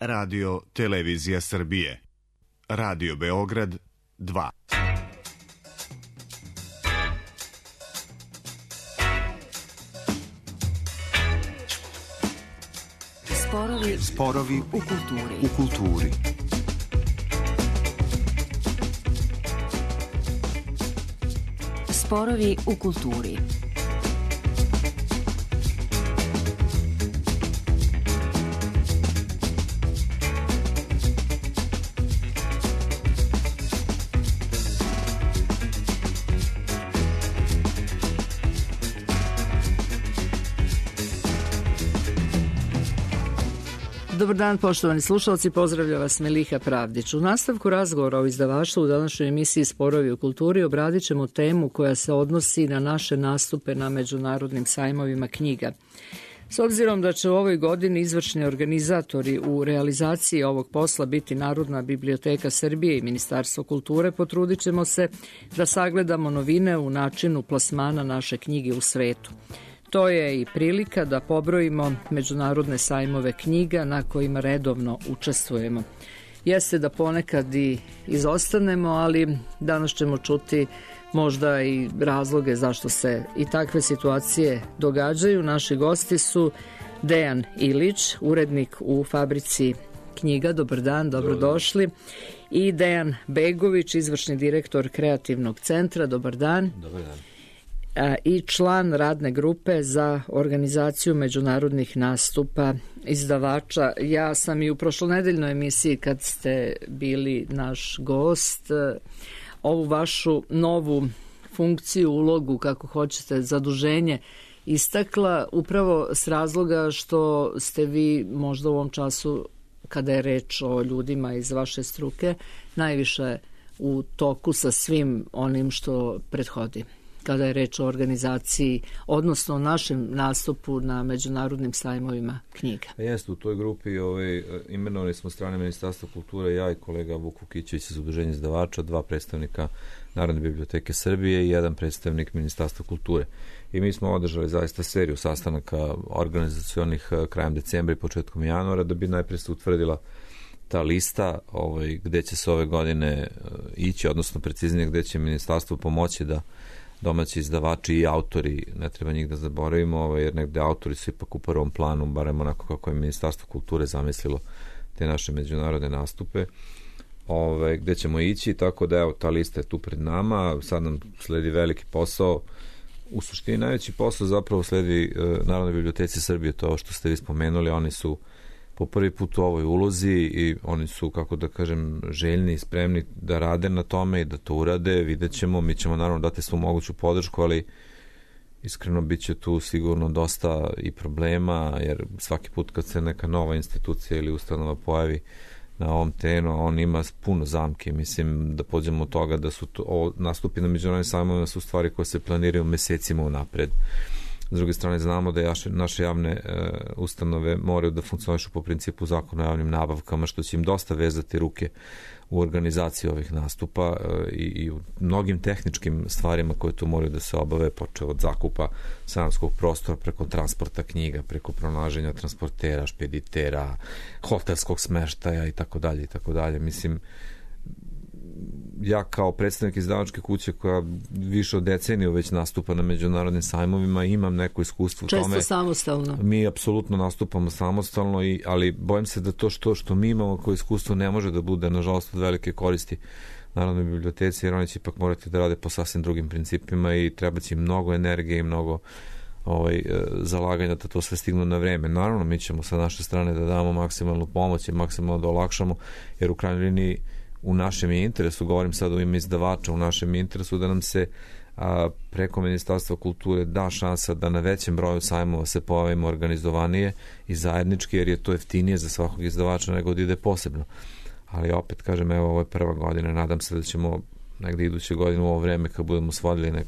Radio Televizija Srbije. Radio Beograd 2. Sporovi u kulturi. Sporovi u kulturi. Dobar dan, poštovani slušalci, pozdravlja vas Meliha Pravdić. U nastavku razgovora o izdavaštvu u današnjoj emisiji Sporovi u kulturi obradit ćemo temu koja se odnosi na naše nastupe na međunarodnim sajmovima knjiga. S obzirom da će u ovoj godini izvršni organizatori u realizaciji ovog posla biti Narodna biblioteka Srbije i Ministarstvo kulture, potrudit ćemo se da sagledamo novine u načinu plasmana naše knjige u svetu. To je i prilika da pobrojimo međunarodne sajmove knjiga na kojima redovno učestvujemo. Jeste da ponekad i izostanemo, ali danas ćemo čuti možda i razloge zašto se i takve situacije događaju. Naši gosti su Dejan Ilić, urednik u Fabrici knjiga. Dobar dan, dobrodošli. I Dejan Begović, izvršni direktor Kreativnog centra. Dobar dan. Dobar dan. I član radne grupe za organizaciju međunarodnih nastupa izdavača. Ja sam i u prošlonedeljnoj emisiji, kad ste bili naš gost, ovu vašu novu funkciju, ulogu, kako hoćete, zaduženje istakla upravo s razloga što ste vi možda u ovom času, kada je reč o ljudima iz vaše struke, najviše u toku sa svim onim što prethodi, kada je reč o organizaciji, odnosno o našem nastupu na međunarodnim sajmovima knjiga. Jeste, u toj grupi imenovali smo strane Ministarstva kulture, ja i kolega Vuk Vukićević iz Udruženja izdavača, 2 predstavnika Narodne biblioteke Srbije i 1 predstavnik Ministarstva kulture. I mi smo održali zaista seriju sastanaka organizacionih krajem decembra i početkom januara, da bi najprej se utvrdila ta lista gde će se ove godine ići, odnosno preciznije gde će Ministarstvo pomoći da domaći izdavači i autori, ne treba njih da zaboravimo, jer negde autori su ipak u prvom planu, barem onako kako je Ministarstvo kulture zamislilo te naše međunarodne nastupe, gde ćemo ići, tako da evo, ta lista je tu pred nama, sad nam sledi veliki posao. U suštini najveći posao zapravo sledi Narodnoj biblioteci Srbije, to ovo što ste vi spomenuli, oni su po prvi put u ovoj ulozi i oni su, kako da kažem, željni i spremni da rade na tome i da to urade. Vidjet ćemo, mi ćemo naravno dati svu moguću podršku, ali iskreno bit će tu sigurno dosta i problema, jer svaki put kad se neka nova institucija ili ustanova pojavi na ovom terenu, on ima puno zamke. Mislim da pođemo od toga da su nastupi na međunarodnim sajmovima su stvari koje se planiraju mesecima unapred. S druge strane, znamo da naše javne ustanove moraju da funkcionišu po principu zakona o javnim nabavkama, što će im dosta vezati ruke u organizaciji ovih nastupa i u mnogim tehničkim stvarima koje tu moraju da se obave, počeo od zakupa sajamskog prostora, preko transporta knjiga, preko pronalaženja transportera, špeditera, hotelskog smeštaja i tako dalje. Mislim, ja kao predstavnik izdavačke kuće koja više od deceniju već nastupa na međunarodnim sajmovima, imam neko iskustvo u tome. Često samostalno. Mi apsolutno nastupamo samostalno, ali bojim se da to što mi imamo kao iskustvo ne može da bude, nažalost, od velike koristi Narodnoj biblioteci, jer oni će ipak morati da rade po sasvim drugim principima i treba će im mnogo energije i mnogo zalaganja da to sve stignu na vreme. Naravno, mi ćemo sa naše strane da damo maksimalnu pomoć i maksimalno da olakšamo, jer u krajnjoj liniji u našem interesu, govorim sad u ime izdavača, u našem interesu da nam se preko Ministarstva kulture da šansa da na većem broju sajmova se pojavimo organizovanije i zajednički, jer je to jeftinije za svakog izdavača nego da ide posebno. Ali opet kažem, evo, ovo je prva godina, nadam se da ćemo negde iduće godine u ovo vreme kad budemo svodili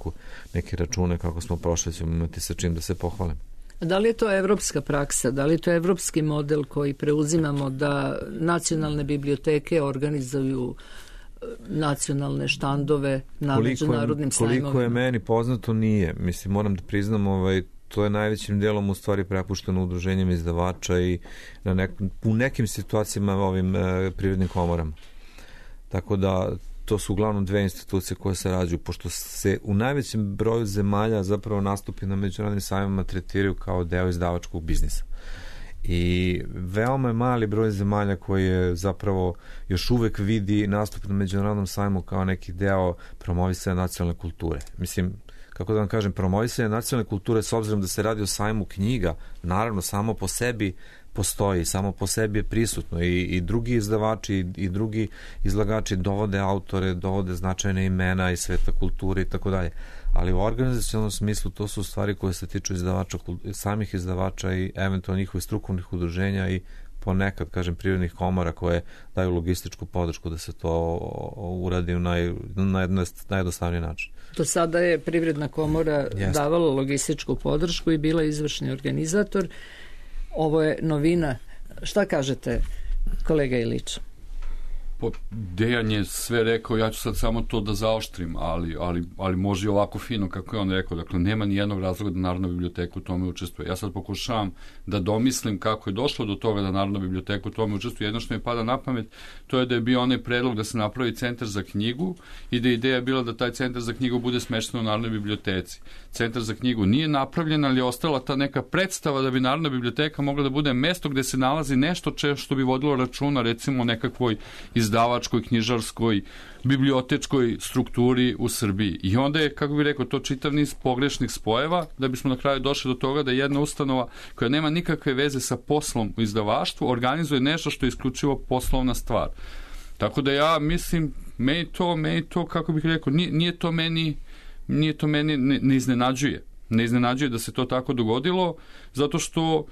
neke račune kako smo prošli, ćemo imati sa čim da se pohvalimo. Da li je to evropska praksa, da li je to evropski model koji preuzimamo da nacionalne biblioteke organizuju nacionalne štandove na međunarodnim sajmovima? Koliko je meni poznato, nije. Mislim, moram da priznam, to je najvećim delom u stvari prepušteno udruženjem izdavača i u nekim situacijama ovim privrednim komorama. Tako da to su uglavnom dve institucije koje se rađuju, pošto se u najvećem broju zemalja zapravo nastupi na međunarodnim sajmovima tretiraju kao deo izdavačkog biznisa. I veoma je mali broj zemalja koji je zapravo još uvek vidi nastup na međunarodnom sajmu kao neki deo promovisanja nacionalne kulture. Mislim, kako da vam kažem, promovisanje nacionalne kulture, s obzirom da se radi o sajmu knjiga, naravno samo po sebi postoji, samo po sebi je prisutno i drugi izdavači i drugi izlagači dovode autore, dovode značajne imena iz sveta kulture i tako dalje. Ali u organizacionalnom smislu to su stvari koje se tiču izdavača, samih izdavača i eventualno njihovih strukovnih udruženja i ponekad, kažem, privrednih komora koje daju logističku podršku da se to uradi na najjednostavniji način. Do sada je Privredna komora davala logističku podršku i bila izvršni organizator. Ovo je novina. Šta kažete, kolega Ilić? Dejan je sve rekao, ja ću sad samo to da zaoštrim, ali može i ovako fino kako je on rekao. Dakle, nema ni jednog razloga da Narodna biblioteka u tome učestvuje. Ja sad pokušavam da domislim kako je došlo do toga da Narodna biblioteka u tome učestvuje. Jedno što mi pada na pamet, to je da je bio onaj predlog da se napravi centar za knjigu i da je ideja bila da taj centar za knjigu bude smešten u Narodnoj biblioteci. Centar za knjigu nije napravljen, ali je ostala ta neka predstava da bi Narodna biblioteka mogla da bude mesto gde se nalazi nešto što bi vodilo računa, recimo nekakvoj izdavačkoj, knjižarskoj, bibliotečkoj strukturi u Srbiji. I onda je, kako bih rekao, to čitav niz pogrešnih spojeva da bismo na kraju došli do toga da jedna ustanova koja nema nikakve veze sa poslom u izdavaštvu organizuje nešto što je isključivo poslovna stvar. Tako da ja mislim, meni to, kako bih rekao, nije to meni ne iznenađuje. Ne iznenađuje da se to tako dogodilo, zato što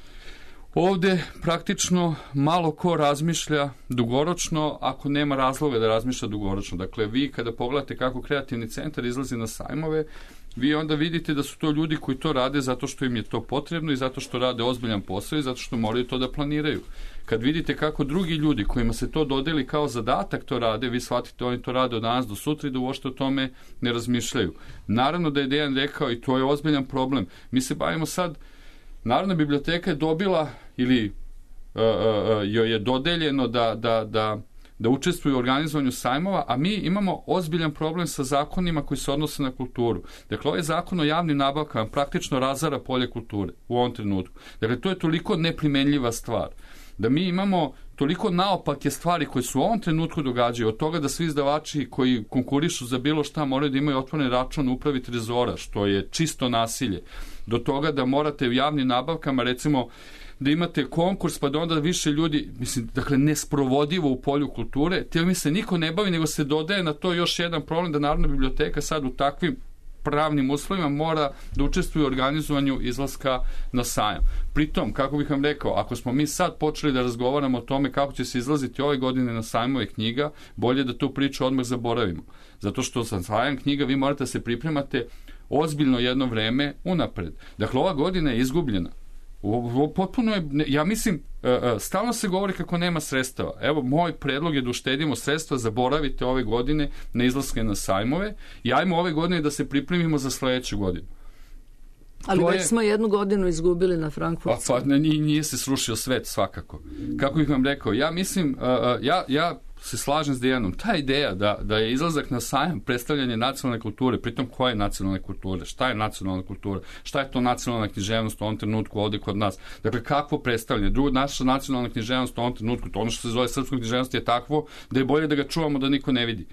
ovde praktično malo ko razmišlja dugoročno ako nema razloga da razmišlja dugoročno. Dakle, vi kada pogledate kako kreativni centar izlazi na sajmove, vi onda vidite da su to ljudi koji to rade zato što im je to potrebno i zato što rade ozbiljan posao i zato što moraju to da planiraju. Kad vidite kako drugi ljudi kojima se to dodeli kao zadatak to rade, vi shvatite oni to rade od danas do sutra i da uopšte o tome ne razmišljaju. Naravno da je Dejan rekao i to je ozbiljan problem. Mi se bavimo sad, Narodna biblioteka je dobila ili joj je dodeljeno da učestvuje u organizovanju sajmova, a mi imamo ozbiljan problem sa zakonima koji se odnose na kulturu. Dakle, ovaj zakon o javnim nabavkama praktično razara polje kulture u ovom trenutku. Dakle, to je toliko neprimenljiva stvar da mi imamo toliko naopake stvari koje se u ovom trenutku događaju, od toga da svi izdavači koji konkurišu za bilo šta moraju da imaju otvoren račun u upravi trezora, što je čisto nasilje, do toga da morate u javnim nabavkama, recimo, da imate konkurs pa da onda više ljudi, mislim, dakle, nesprovodivo u polju kulture, mi se niko ne bavi, nego se dodaje na to još jedan problem da Narodna biblioteka sad u takvim pravnim uslovima mora da učestvuje u organizovanju izlaska na sajam. Pritom, kako bih vam rekao, ako smo mi sad počeli da razgovaramo o tome kako će se izlaziti ove godine na sajmove knjiga, bolje da tu priču odmah zaboravimo. Zato što sa sajam knjiga vi morate da se pripremate ozbiljno jedno vreme unapred. Dakle, ova godina je izgubljena. Potpuno je, ja mislim, stalno se govori kako nema sredstava. Evo, moj predlog je da uštedimo sredstva, zaboravite ove godine na izlaske na sajmove i ajmo ove godine da se pripremimo za sledeću godinu. Ali već smo jednu godinu izgubili na Frankfurtu. Pa nije se srušio svet svakako. Kako bih vam rekao, ja mislim, ja se slažem s Dejanom. Ta ideja da je izlazak na sajam predstavljanje nacionalne kulture, pritom koje je nacionalne kulture, šta je nacionalna kultura, šta je to nacionalna književnost u ovom trenutku ovde kod nas. Dakle, kakvo predstavljanje? Drugo, naša nacionalna književnost u ovom trenutku, to ono što se zove srpska književnost je takvo da je bolje da ga čuvamo da niko ne vidi,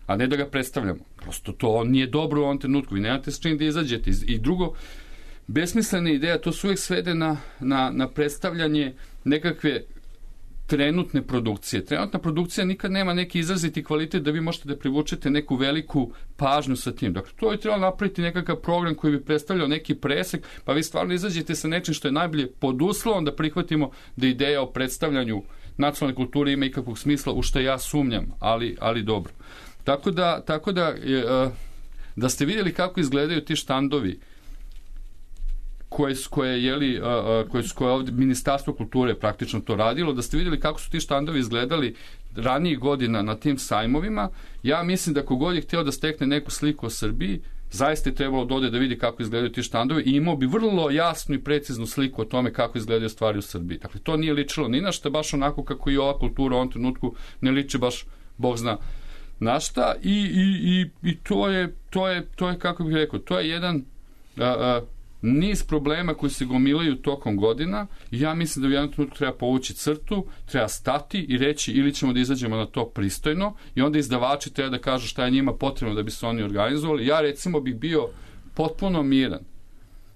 a ne da ga predstavljamo. Prosto to nije dobro u ovom trenutku. Vi nemate s čim da izađete. I drugo, besmislena ideja, to se uvijek svede na predstavljanje nekakve trenutne produkcije. Trenutna produkcija nikad nema neki izraziti kvalitet da vi možete da privučete neku veliku pažnju sa tim. Dakle, to je trebalo napraviti nekakav program koji bi predstavljao neki presek, pa vi stvarno izađete sa nečim što je najbolje pod uslovom da prihvatimo da ideja o predstavljanju nacionalne kulture ima ikakvog smisla, u što ja sumnjam, ali dobro. Tako da ste vidjeli kako izgledaju ti štandovi koje je ovdje Ministarstvo kulture praktično to radilo, da ste vidjeli kako su ti štandovi izgledali ranijih godina na tim sajmovima, ja mislim da kogod je htio da stekne neku sliku o Srbiji, zaista je trebalo da ode da vidi kako izgledaju ti štandovi i imao bi vrlo jasnu i preciznu sliku o tome kako izgledaju stvari u Srbiji. Dakle, to nije ličilo ni na šta, baš onako kako i ova kultura u ovom trenutku ne liči baš, Bog zna na šta, i to je, kako bih rekao, to je jedan niz problema koji se gomilaju tokom godina i ja mislim da u jednom trenutku treba povući crtu, treba stati i reći ili ćemo da izađemo na to pristojno i onda izdavači treba da kažu šta je njima potrebno da bi se oni organizovali. Ja recimo bih bio potpuno miran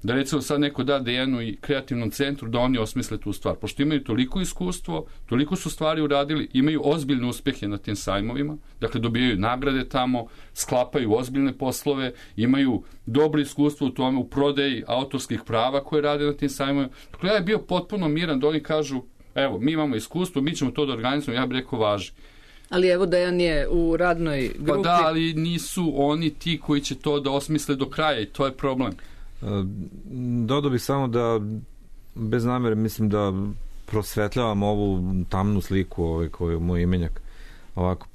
da recimo sad neko da Dejanu i kreativnom centru da oni osmisle tu stvar, pošto imaju toliko iskustvo, toliko su stvari uradili, imaju ozbiljne uspehe na tim sajmovima, dakle dobijaju nagrade tamo, sklapaju ozbiljne poslove, imaju dobro iskustvo u tome, u prodaji autorskih prava koje rade na tim sajmovima. Dakle, ja je bio potpuno miran da oni kažu, evo, mi imamo iskustvo, mi ćemo to da organizujemo, ja bih rekao važi. Ali evo Dejan je u radnoj grupi. Pa da, ali nisu oni ti koji će to da osmisle do kraja i to je problem. Dodao bih samo da bez namere mislim da prosvetljavam ovu tamnu sliku koju moj imenjak ovako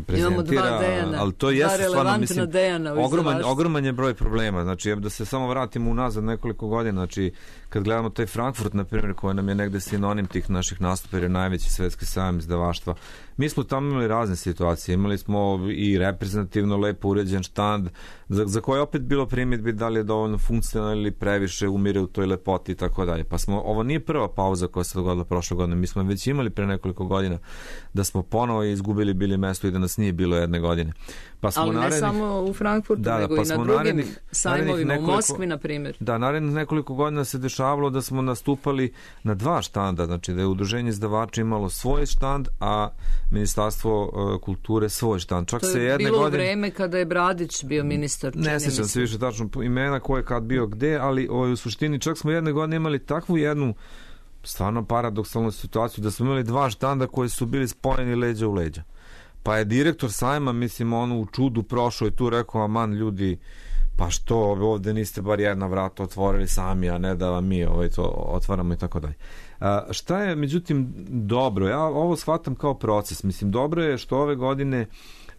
prezentira. Imamo dva Dejana, ali to jeste stvarno, mislim, ogroman je broj problema. Znači, da se samo vratimo unazad nekoliko godina, znači, kad gledamo taj Frankfurt, na primjer, koji nam je negde sinonim tih naših nastupa, jer je najveći svetski sajam izdavaštva, mi smo tamo imali razne situacije. Imali smo i reprezentativno lepo uređen štand, za koje opet bilo primjedbi da li je dovoljno funkcionalno ili previše umire u toj lepoti i tako dalje. Pa ovo nije prva pauza koja se dogodila prošle godine. Mi smo već imali pre nekoliko godina da smo ponovo izgubili bili mesto i da nas nije bilo jedne godine. Pa smo ali ne samo u Frankfurtu, nego i na drugim sajmovima, u Moskvi, na primjer. Da, narednih nekoliko godina se dešavalo da smo nastupali na dva štanda, znači da je udruženje izdavača imalo svoj štand, a Ministarstvo kulture svoj štand. Čak to je se jedne bilo godine... vreme kada je Bradić bio ministar. Ne sjećam se više tačno imena ko je kad bio gde, ali u suštini čak smo jedne godine imali takvu jednu stvarno paradoksalnu situaciju da smo imali dva štanda koji su bili spojeni leđa u leđa. Pa je direktor sajma, mislim, u čudu prošao i tu rekao, aman ljudi, pa što ovde niste bar jedna vrata otvorili sami, a ne da vam mi to otvaramo i tako dalje. Šta je, međutim, dobro? Ja ovo shvatam kao proces. Mislim, dobro je što ove godine,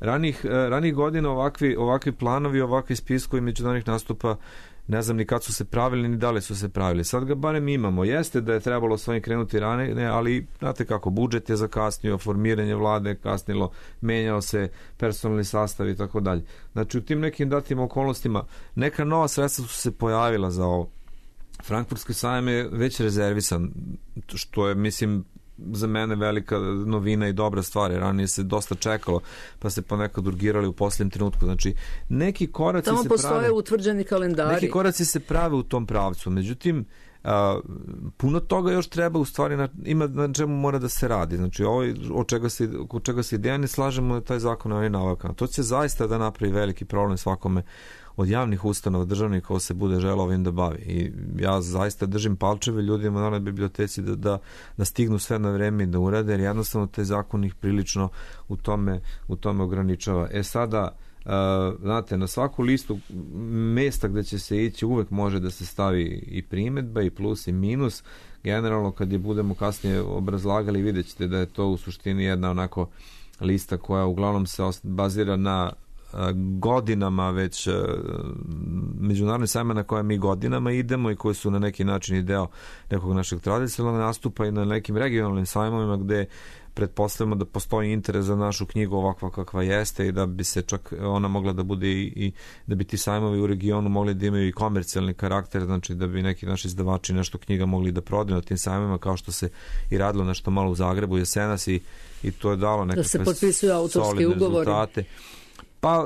ranih godina ovakvi planovi, ovakvi spiskovi međunarodnih nastupa, ne znam ni kad su se pravili, ni da li su se pravili. Sad ga barem imamo. Jeste da je trebalo s ovim krenuti ranije, ali znate kako, budžet je zakasnio, formiranje vlade je kasnilo, menjao se personalni sastav i tako dalje. Znači, u tim nekim datim okolnostima neka nova sredstva su se pojavila za ovo. Frankfurtski sajam je već rezervisan, što je, mislim, za mene velika novina i dobra stvar, jer ranije se dosta čekalo, pa se ponekad urgirali u posljednjem trenutku. Znači, neki koraci tamo se postoje utvrđeni kalendari. Neki koraci se prave u tom pravcu, međutim, puno toga još treba u stvari ima na čemu mora da se radi. Znači, ovo od čega se ideja ne slažemo je taj zakon o navakama. To će zaista da napravi veliki problem svakome od javnih ustanova državnih ko se bude želeo ovim da bavi. I ja zaista držim palčeve ljudima u Narodnoj biblioteci da stignu sve na vreme i da urade, jer jednostavno taj zakon ih prilično u tome ograničava. Sada, znate, na svaku listu mesta gde će se ići uvek može da se stavi i primedba i plus i minus. Generalno kad je budemo kasnije obrazlagali vidjet ćete da je to u suštini jedna onako lista koja uglavnom se bazira na godinama već međunarodne sajma na koje mi godinama idemo i koji su na neki način i deo nekog našeg tradicionalnog nastupa i na nekim regionalnim sajmovima gde pretpostavljamo da postoji interes za našu knjigu ovakva kakva jeste i da bi se čak ona mogla da bude i da bi ti sajmovi u regionu mogli da imaju i komercijalni karakter, znači da bi neki naši izdavači nešto knjiga mogli da prodaju na tim sajmovima, kao što se i radilo nešto malo u Zagrebu jesenas i to je dalo nekakve da se potpisuju autorski ugovori. Rezultate. Pa,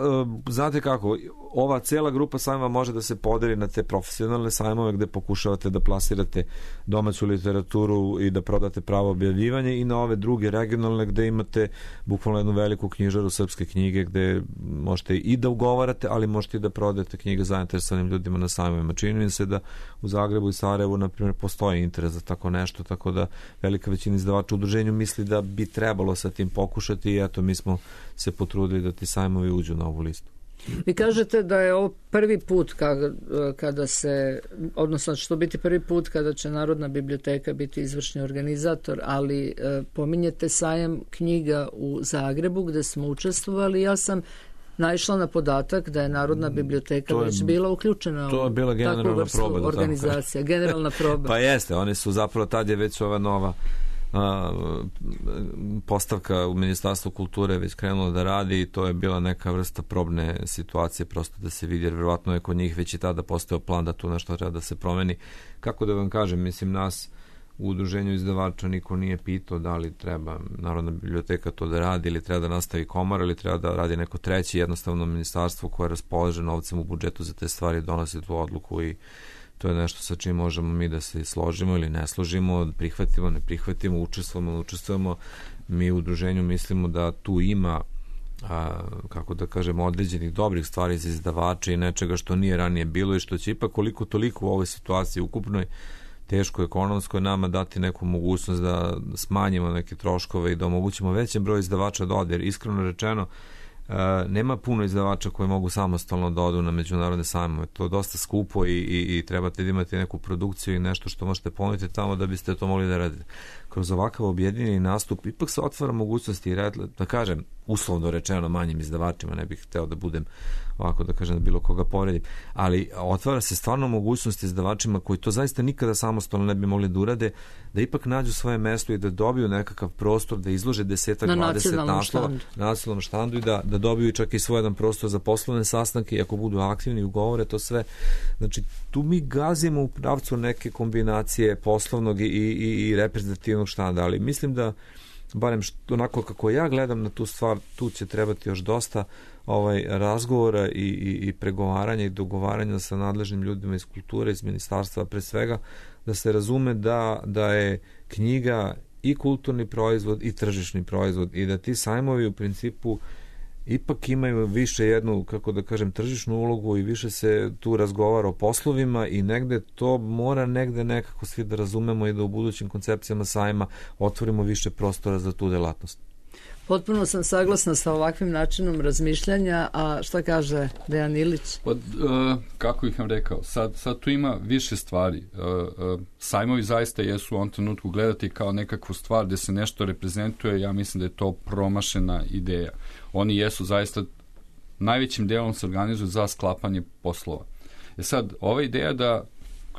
znate kako, ova cela grupa sajmova može da se podeli na te profesionalne sajmove gde pokušavate da plasirate domaću literaturu i da prodate pravo objavljivanje i na ove druge regionalne gde imate bukvalno jednu veliku knjižaru srpske knjige gde možete i da ugovarate, ali možete i da prodate knjige zainteresovanim ljudima na sajmovima. Čini mi se da u Zagrebu i Sarajevu, na primjer, postoji interes za tako nešto, tako da velika većina izdavača u udruženju misli da bi trebalo sa tim pokušati i eto, mi smo se potrudili da ti sajmovi uđu na ovu listu. Vi kažete da je ovo prvi put kada se, odnosno što biti prvi put kada će Narodna biblioteka biti izvršni organizator, ali pominjete sajam knjiga u Zagrebu gde smo učestvovali. Ja sam naišla na podatak da je Narodna biblioteka već bila uključena u takvu vrstu organizacija. Generalna proba. Pa jeste, oni su zapravo, tad je već ova nova postavka u Ministarstvu kulture već krenula da radi i to je bila neka vrsta probne situacije, prosto da se vidi, jer vjerovatno je kod njih već i tada postao plan da tu nešto treba da se promeni. Kako da vam kažem, mislim, nas u udruženju izdavača niko nije pitao da li treba Narodna biblioteka to da radi ili treba da nastavi komora ili treba da radi neko treći, jednostavno ministarstvo koje raspolaže novcem u budžetu za te stvari donosi tu odluku i to je nešto sa čim možemo mi da se složimo ili ne složimo, prihvatimo, ne prihvatimo, učestvujemo. Mi u udruženju mislimo da tu ima kako da kažemo, određenih dobrih stvari za izdavače i nečega što nije ranije bilo i što će ipak koliko toliko u ovoj situaciji ukupnoj teško ekonomskoj nama dati neku mogućnost da smanjimo neke troškove i da omogućimo većem broj izdavača da ode, jer iskreno rečeno nema puno izdavača koji mogu samostalno da odu na međunarodne sajmove. To je dosta skupo i trebate da imate neku produkciju i nešto što možete ponuditi tamo da biste to mogli da radite. Kroz ovakav objedinjeni nastup ipak se otvara mogućnosti, da kažem, uslovno rečeno manjim izdavačima, ne bih hteo da budem ovako da kažem da bilo koga povredim, ali otvara se stvarno mogućnost izdavačima koji to zaista nikada samostalno ne bi mogli da urade, da ipak nađu svoje mesto i da dobiju nekakav prostor, da izlože 10-20 naslova na nacionalnom štandu i da dobiju čak i svoj jedan prostor za poslovne sastanke i ako budu aktivni ugovore to sve. Znači, tu mi gazimo u pravcu neke kombinacije poslovnog i reprezentativnog štanda, ali mislim da barem onako kako ja gledam na tu stvar, tu će trebati još dosta razgovora i pregovaranja i dogovaranja sa nadležnim ljudima iz kulture, iz ministarstva, pre svega, da se razume da je knjiga i kulturni proizvod i tržišni proizvod i da ti sajmovi u principu ipak imaju više jednu, kako da kažem, tržišnu ulogu i više se tu razgovara o poslovima i negde to mora negde nekako svi da razumemo i da u budućim koncepcijama sajma otvorimo više prostora za tu delatnost. Potpuno sam saglasna sa ovakvim načinom razmišljanja, a šta kaže Dejan Ilić? Kako bih vam rekao, sad tu ima više stvari. Sajmovi zaista jesu u ovom trenutku gledati kao nekakvu stvar gde se nešto reprezentuje, ja mislim da je to promašena ideja. Oni jesu zaista, najvećim delom se organizuju za sklapanje poslova. Sad, ova ideja da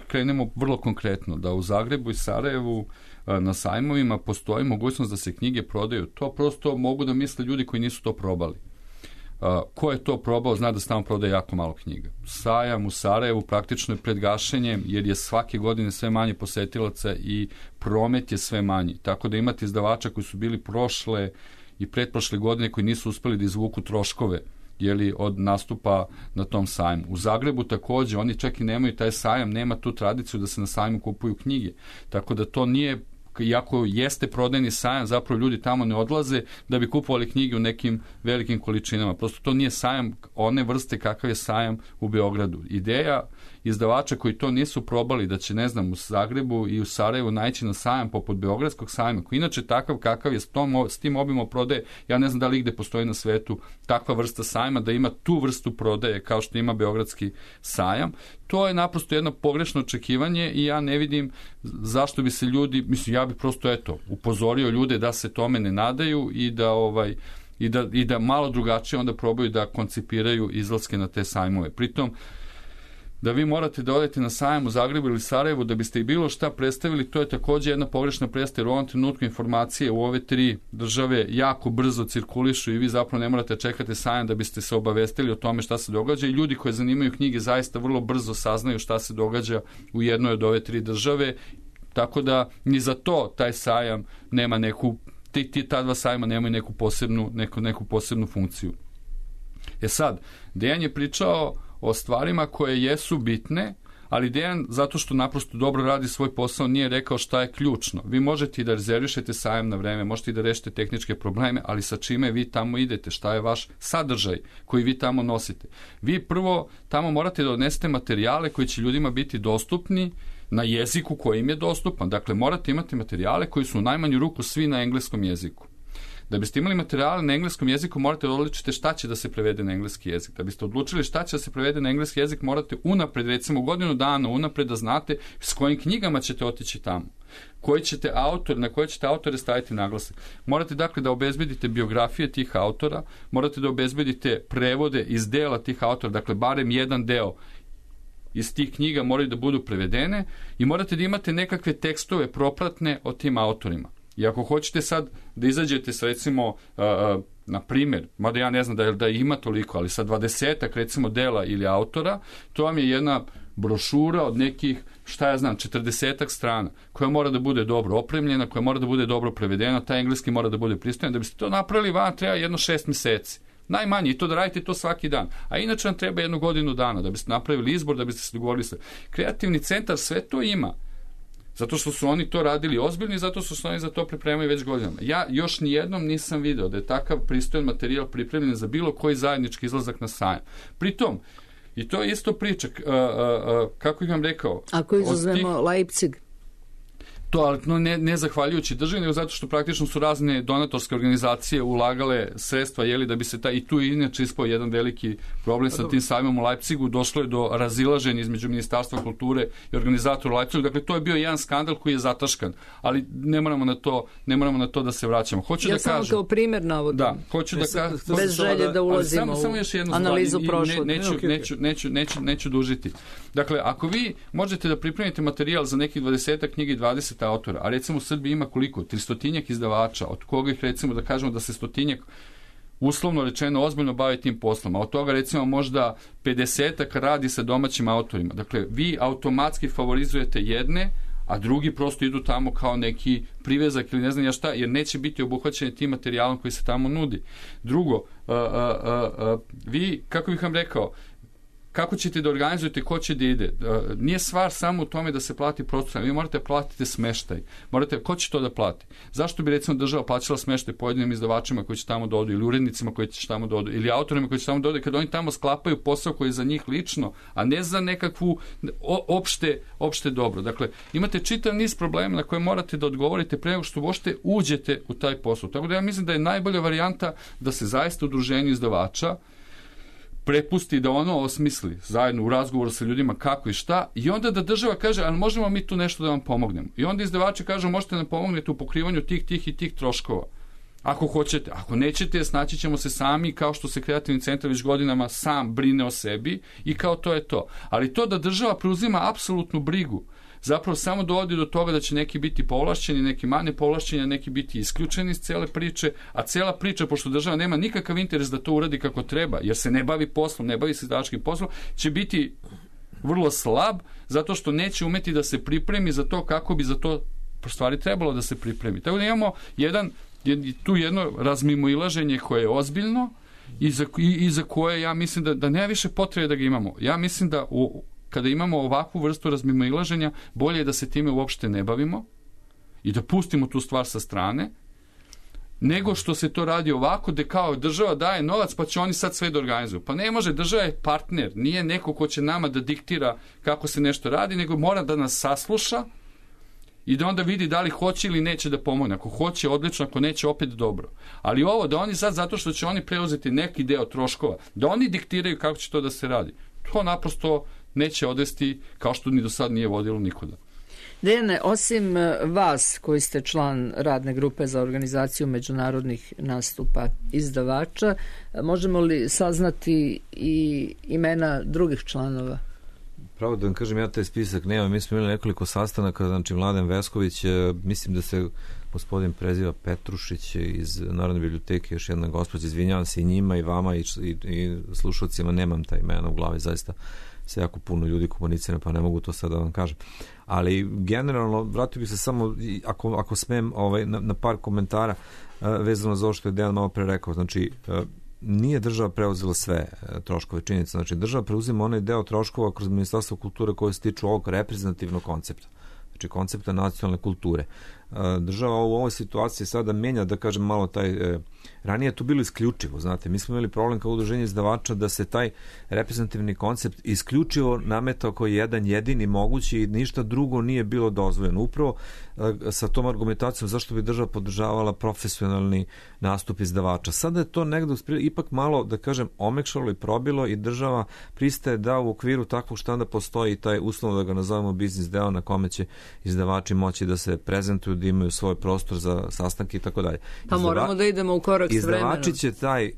krenemo vrlo konkretno, da u Zagrebu i Sarajevu na sajmovima postoji mogućnost da se knjige prodaju. To prosto mogu da misle ljudi koji nisu to probali. Ko je to probao zna da se tamo prodaje jako malo knjiga. Sajam u Sarajevu praktično je pred gašenjem jer je svake godine sve manje posetilaca i promet je sve manji. Tako da imate izdavača koji su bili prošle i pretprošle godine koji nisu uspeli da izvuku troškove od nastupa na tom sajmu. U Zagrebu takođe, oni čak i nemaju taj sajam, nema tu tradiciju da se na sajmu kupuju knjige. Tako da to nije, iako jeste prodajni sajam, zapravo ljudi tamo ne odlaze da bi kupovali knjige u nekim velikim količinama. Prosto to nije sajam one vrste kakav je sajam u Beogradu. Ideja izdavača koji to nisu probali da će, ne znam, u Zagrebu i u Sarajevu naići na sajam poput Beogradskog sajma, koji inače takav kakav je s tim obimom prodaje, ja ne znam da li gde postoji na svetu takva vrsta sajma, da ima tu vrstu prodaje kao što ima Beogradski sajam. To je naprosto jedno pogrešno očekivanje i ja ne vidim zašto bi se ljudi, mislim, ja bih prosto upozorio ljude da se tome ne nadaju i da malo drugačije onda probaju da koncipiraju izlaske na te sajmove. Pritom, da vi morate da odete na sajam u Zagrebu ili Sarajevu da biste i bilo šta predstavili, to je takođe jedna pogrešna predstava, jer u ovom trenutku informacije u ove 3 države jako brzo cirkulišu i vi zapravo ne morate čekati sajam da biste se obavestili o tome šta se događa i ljudi koji zanimaju knjige zaista vrlo brzo saznaju šta se događa u jednoj od ove 3 države, tako da ni za to taj sajam nema neku, ta 2 sajma nemaju neku posebnu funkciju. Sad, Dejan je pričao o stvarima koje jesu bitne, ali Dejan, zato što naprosto dobro radi svoj posao, nije rekao šta je ključno. Vi možete i da rezervišete sajam na vreme, možete i da rešite tehničke probleme, ali sa čime vi tamo idete, šta je vaš sadržaj koji vi tamo nosite. Vi prvo tamo morate da odnesete materijale koji će ljudima biti dostupni na jeziku koji im je dostupan. Dakle, morate imati materijale koji su u najmanju ruku svi na engleskom jeziku. Da biste imali materijale na engleskom jeziku, morate odlučiti šta će da se prevede na engleski jezik. Da biste odlučili šta će da se prevede na engleski jezik, morate unapred, recimo godinu dana unapred da znate s kojim knjigama ćete otići tamo. Na koje ćete autore staviti naglasak. Morate dakle da obezbedite biografije tih autora, morate da obezbedite prevode iz dela tih autora, dakle barem jedan deo iz tih knjiga moraju da budu prevedene i morate da imate nekakve tekstove propratne o tim autorima. I ako hoćete sad da izađete sa recimo, na primjer, mada ja ne znam da ima toliko, ali sa 20-ak recimo dela ili autora, to vam je jedna brošura od nekih, 40-ak strana, koja mora da bude dobro opremljena, koja mora da bude dobro prevedena, taj engleski mora da bude pristojan. Da biste to napravili, vam treba jedno 6 meseci. Najmanje, i to da radite to svaki dan. A inače vam treba 1 godinu dana da biste napravili izbor, da biste se dogovorili sve. Kreativni centar sve to ima. Zato što su oni to radili ozbiljno i zato što su oni za to pripremaju već godinama. Ja još nijednom nisam video da je takav pristojan materijal pripremljen za bilo koji zajednički izlazak na sajam. Pritom, i to je isto priča, kako ih vam rekao... Ako izuzmemo Leipzig? To, ali ne zahvaljujući državi, nego zato što praktično su razne donatorske organizacije ulagale sredstva, da bi se i tu inače ispao jedan veliki problem sa tim sajmom u Leipzigu, došlo je do razilaženja između Ministarstva kulture i organizatora u Leipzigu. Dakle, to je bio jedan skandal koji je zataškan, ali ne moramo na to da se vraćamo. Hoću da samo kao primjer navodim. Da, hoću da kažem. Bez želje da ulazimo u analizu prošlog. Neću dužiti. Dakle, ako vi možete da pripremite materijal za nekih 20 knjiga i 20 autora, a recimo u Srbiji ima koliko? 300 izdavača, od koga ih recimo da kažemo da se 100 uslovno rečeno ozbiljno bavi tim poslom, a od toga recimo možda 50 radi sa domaćim autorima. Dakle, vi automatski favorizujete jedne, a drugi prosto idu tamo kao neki privezak ili ne znam ja šta, jer neće biti obuhvaćeni tim materijalom koji se tamo nudi. Drugo, vi, kako bih vam rekao, kako ćete da organizujete, ko će da ide? Nije stvar samo u tome da se plati prostor, vi morate platiti smeštaj. Ko će to da plati? Zašto bi recimo država plaćala smeštaj pojedinim izdavačima koji će tamo da odu, ili urednicima koji će tamo da odu, ili autorima koji će tamo da odu, kada oni tamo sklapaju posao koji je za njih lično, a ne za nekakvu opšte dobro. Dakle, imate čitav niz problema na koje morate da odgovorite pre nego što uopšte uđete u taj posao. Tako da ja mislim da je najbolja varijanta da se zaista udruženju izdavača prepusti da ono osmisli zajedno u razgovoru sa ljudima kako i šta, i onda da država kaže, ali možemo mi tu nešto da vam pomognemo. I onda izdavači kažu, možete nam pomognete u pokrivanju tih i tih troškova. Ako hoćete, ako nećete, snaći ćemo se sami, kao što se kreativni centar već godinama sam brine o sebi i kao to je to. Ali to da država preuzima apsolutnu brigu, zapravo samo dovodi do toga da će neki biti povlašćeni, neki manje povlašćeni, a neki biti isključeni iz cele priče, a cela priča, pošto država nema nikakav interes da to uradi kako treba, jer se ne bavi poslom, ne bavi se izdavačkim poslom, će biti vrlo slab, zato što neće umeti da se pripremi za to kako bi za to stvari trebalo da se pripremi. Tako da imamo tu jedno razmimoilaženje koje je ozbiljno i za koje ja mislim da nema više potrebe da ga imamo. Ja mislim da kada imamo ovakvu vrstu razmimoilaženja, bolje je da se time uopšte ne bavimo i da pustimo tu stvar sa strane, nego što se to radi ovako, da kao država daje novac pa će oni sad sve da organizuju. Pa ne može, država je partner, nije neko ko će nama da diktira kako se nešto radi, nego mora da nas sasluša i da onda vidi da li hoće ili neće da pomogne. Ako hoće, odlično, ako neće, opet dobro. Ali ovo, da oni sad, zato što će oni preuzeti neki deo troškova, da oni diktiraju kako će to da se radi, to naprosto neće odvesti, kao što ni do sad nije vodilo nikuda. Dejane, osim vas koji ste član radne grupe za organizaciju međunarodnih nastupa izdavača, možemo li saznati i imena drugih članova? Pravo da vam kažem, ja taj spisak nemam. Mi smo imali nekoliko sastanaka, znači Mladen Vesković, mislim da se gospodin preziva Petrušić iz Narodne biblioteke, još jedna gospođa, izvinjavam se i njima i vama i slušalcima, nemam taj imena u glavi, zaista se jako puno ljudi komunicira, pa ne mogu to sad da vam kažem. Ali generalno, vratio bih se samo, ako smem, na par komentara vezano za ovo što je Dejan malo pre rekao. Znači, nije država preuzela sve troškove, činjenica. Znači, država preuzima onaj deo troškova kroz Ministarstvo kulture koje se tiču ovog reprezentativnog koncepta. Znači, koncepta nacionalne kulture. država u ovoj situaciji sada menja, da kažem, malo taj... Ranije je to bilo isključivo, znate, mi smo imali problem kao udruženje izdavača da se taj reprezentativni koncept isključivo nametao kao jedan jedini mogući i ništa drugo nije bilo dozvoljeno. Upravo sa tom argumentacijom zašto bi država podržavala profesionalni nastup izdavača. Sada je to negdje ipak malo, da kažem, omekšalo i probilo i država pristaje da u okviru takvog štanda postoji taj uslovno, da ga nazovemo, biznis deo na kome će izdavači moći da se prezentuju, da imaju svoj prostor za sastanke i tako dalje. Pa moramo da idemo u korak s vremenom. Izdavači će taj,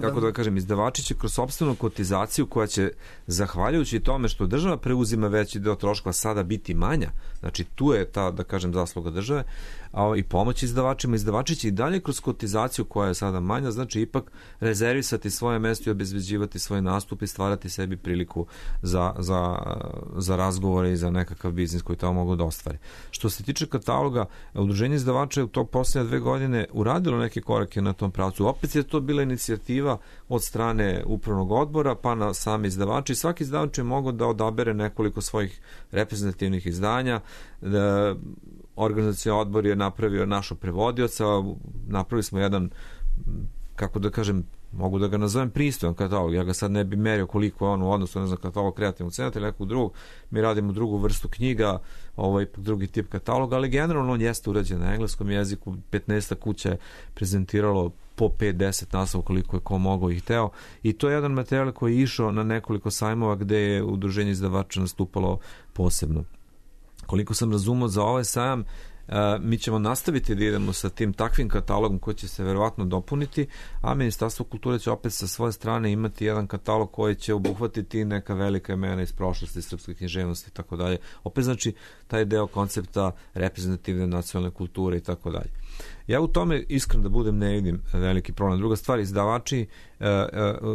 kako da kažem, izdavači će kroz sopstvenu kotizaciju koja će, zahvaljujući tome što država preuzima veći deo troškova, sada biti manja. Znači tu je ta, da kažem, zasluga države i pomoć izdavačima. Izdavači će i dalje kroz kotizaciju koja je sada manja, znači ipak rezervisati svoje mesto i obezbeđivati svoj nastup i stvarati sebi priliku za razgovore i za nekakav biznis koji tamo mogu da ostvari. Što se tiče kataloga, udruženje izdavača je u to posljednje 2 godine uradilo neke korake na tom pravcu. Opet je to bila inicijativa od strane upravnog odbora pa na sami izdavači. Svaki izdavač je mogao da odabere nekoliko svojih reprezentativnih izdanja. Organizacioni odbor je napravio našo prevodioca, napravili smo jedan, kako da kažem, mogu da ga nazovem pristojan katalog, ja ga sad ne bi merio koliko je on u odnosu, ne znam, katalog kreativnog centra ili nekog drugog, mi radimo drugu vrstu knjiga, drugi tip kataloga, ali generalno on jeste urađen na engleskom jeziku, 15 kuća je prezentiralo po 5-10 naslova koliko je ko mogao i hteo, i to je jedan materijal koji je išao na nekoliko sajmova gde je udruženje izdavača nastupalo posebno. Koliko sam razumio za ovaj sajam, mi ćemo nastaviti da idemo sa tim takvim katalogom koji će se verovatno dopuniti, a Ministarstvo kulture će opet sa svoje strane imati jedan katalog koji će obuhvatiti neka velika imena iz prošlosti, srpske književnosti i tako dalje. Opet znači taj deo koncepta reprezentativne nacionalne kulture i tako dalje. Ja u tome, iskreno da budem, ne vidim veliki problem. Druga stvar, izdavači,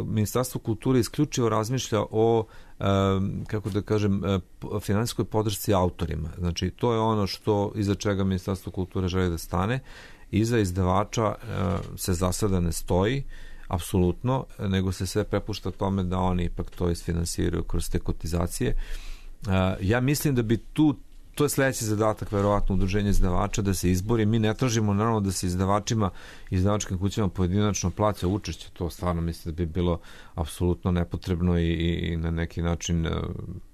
Ministarstvo kulture isključivo razmišlja o, kako da kažem, finansijskoj podršci autorima. Znači, to je ono što iza čega Ministarstvo kulture želi da stane. Iza izdavača se za sada ne stoji, apsolutno, nego se sve prepušta tome da oni ipak to isfinansiraju kroz te kotizacije. Ja mislim da bi to je sledeći zadatak, verovatno, udruženje izdavača, da se izbori. Mi ne tražimo, naravno, da se izdavačima i izdavačkim kućama pojedinačno plaća učešće. To stvarno mislim da bi bilo apsolutno nepotrebno i na neki način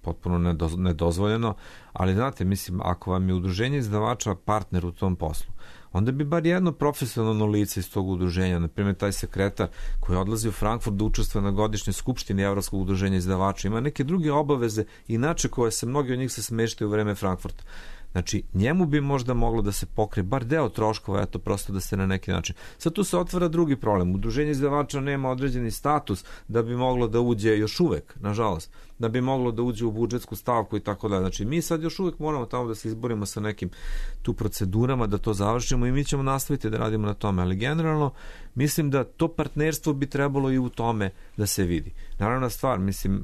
potpuno nedozvoljeno. Ali, znate, mislim, ako vam je udruženje izdavača partner u tom poslu, onda bi bar jedno profesionalno lice iz tog udruženja, na primjer taj sekretar koji odlazi u Frankfurt da učestvuje na godišnjoj skupštini Evropskog udruženja izdavača, ima neke druge obaveze, inače koje se mnogi od njih se smeštaju u vreme Frankfurta. Znači, njemu bi možda moglo da se pokrije bar deo troškova, eto, prosto da se na neki način. Sad tu se otvara drugi problem. Udruženje izdavača nema određeni status da bi moglo da uđe još uvek, nažalost, da bi moglo da uđe u budžetsku stavku i tako dalje. Znači, mi sad još uvek moramo tamo da se izborimo sa nekim tu procedurama, da to završimo i mi ćemo nastaviti da radimo na tome. Ali generalno, mislim da to partnerstvo bi trebalo i u tome da se vidi. Naravna stvar, mislim,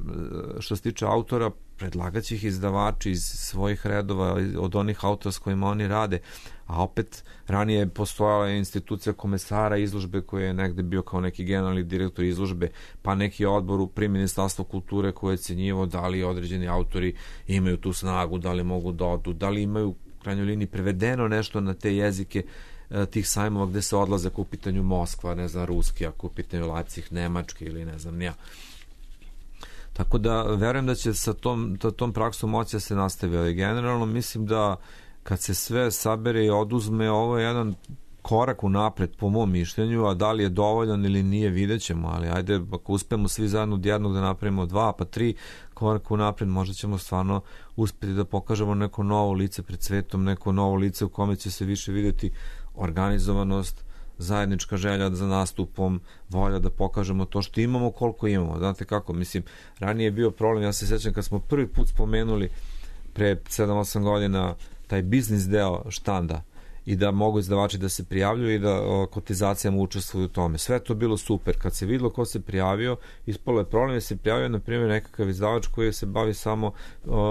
što se tiče autora, predlagaće ih izdavači iz svojih redova, od onih autora s kojima oni rade, a opet ranije je postojala institucija komesara izložbe koji je negde bio kao neki generalni direktor izložbe, pa neki odbor pri Ministarstvu kulture koji je cenjivo da li određeni autori imaju tu snagu, da li mogu da odu, da li imaju u krajnjoj liniji prevedeno nešto na te jezike tih sajmova gde se odlaze ako u pitanju Moskva, ne znam, ruski, ako u pitanju Leipzig, nemački ili ne znam nija. Tako da verujem da će sa tom praksom moći da se nastavi, ali generalno mislim da kad se sve sabere i oduzme, ovo je jedan korak unapred po mom mišljenju, a da li je dovoljan ili nije, vidjet ćemo, ali ajde, ako uspemo svi zajedno od jednog da napravimo 2 pa 3 koraka unapred, možda ćemo stvarno uspeti da pokažemo neko novo lice pred svetom, neko novo lice u kome će se više vidjeti organizovanost, zajednička želja za nastupom, volja da pokažemo to što imamo, koliko imamo. Znate kako, mislim, ranije je bio problem, ja se sjećam kad smo prvi put spomenuli pre 7-8 godina taj biznis deo štanda i da mogu izdavači da se prijavljuju i da kotizacijama učestvuju u tome. Sve to bilo super. Kad se videlo ko se prijavio, ispalo je problem da se prijavio, na primjer, nekakav izdavač koji se bavi samo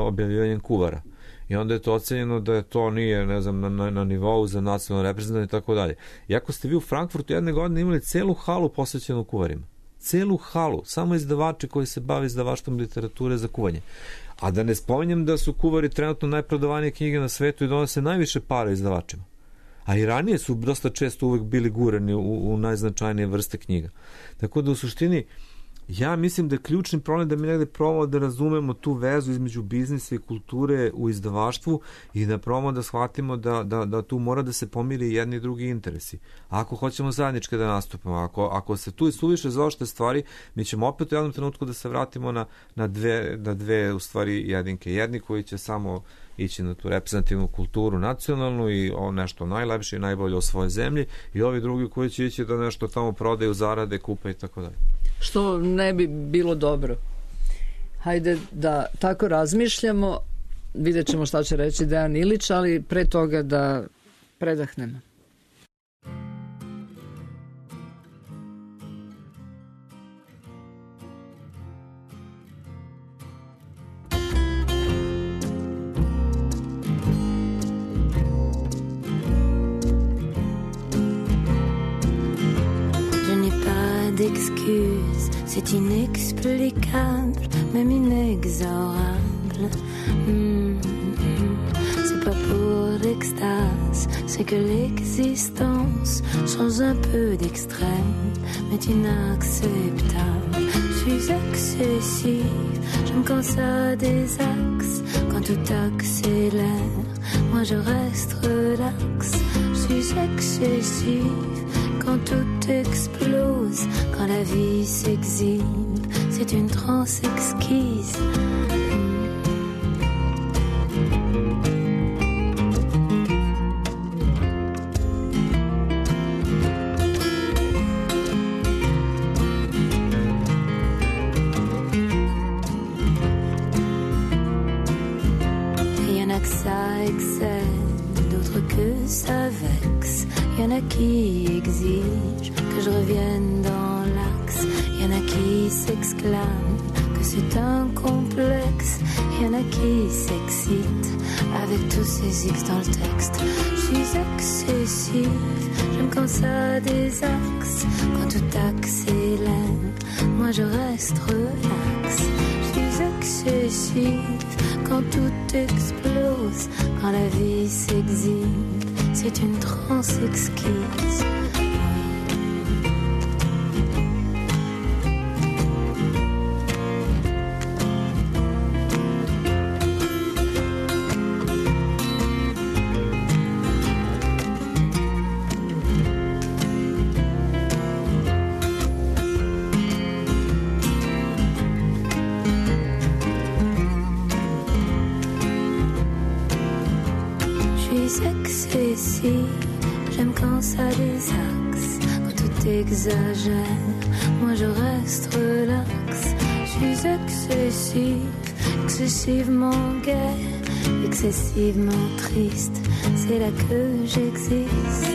objavljivanjem kuvara. I onda je to ocenjeno da je to nije, ne znam, na nivou za nacionalno reprezentativno i tako dalje. Iako ste vi u Frankfurtu jedne godine imali celu halu posvećenu kuvarima. Celu halu. Samo izdavači koji se bave izdavaštvom literature za kuvanje. A da ne spominjem da su kuvari trenutno najprodavanije knjige na svetu i donose najviše para izdavačima. A i ranije su dosta često uvek bili gurani u najznačajnije vrste knjiga. Tako da u suštini ja mislim da je ključni problem da mi negde probamo da razumemo tu vezu između biznisa i kulture u izdavaštvu i da probamo da shvatimo da tu mora da se pomiri jedni i drugi interesi. Ako hoćemo zajednički da nastupamo, ako se tu suviše zaoštre stvari, mi ćemo opet u jednom trenutku da se vratimo na dve u stvari jedinke. Jedni koji će samo ići na tu reprezentativnu kulturu nacionalnu i nešto najlepše i najbolje o svojoj zemlji, i ovi drugi koji će ići da nešto tamo prodaju, zarade, kupe i tako dalje. Što ne bi bilo dobro. Hajde da tako razmišljamo, vidjet ćemo šta će reći Dejan Ilić, ali pre toga da predahnemo. D'excuses, c'est inexplicable, même inexorable. C'est pas pour l'extase, c'est que l'existence change un peu d'extrême, mais inacceptable. Je suis excessive, je me canse à des axes, quand tout accélère, moi je reste relax. Je suis excessive quand tout explose, quand la vie s'exhibe, c'est une transe exquise. Y'en a que ça excède, d'autres que ça vexe. Y'en a qui exigent que je revienne dans l'axe. Y'en a qui s'exclament que c'est un complexe. Y'en a qui s'excitent avec tous ces X dans le texte. Je suis excessive, je me canse à des axes. Quand tout accélère, moi je reste relax. Je suis excessive quand tout explose, quand la vie s'exhibe, c'est une transe exquise. Exagère, moi je reste relax. Je suis excessive, excessivement gaie, excessivement triste, c'est là que j'existe.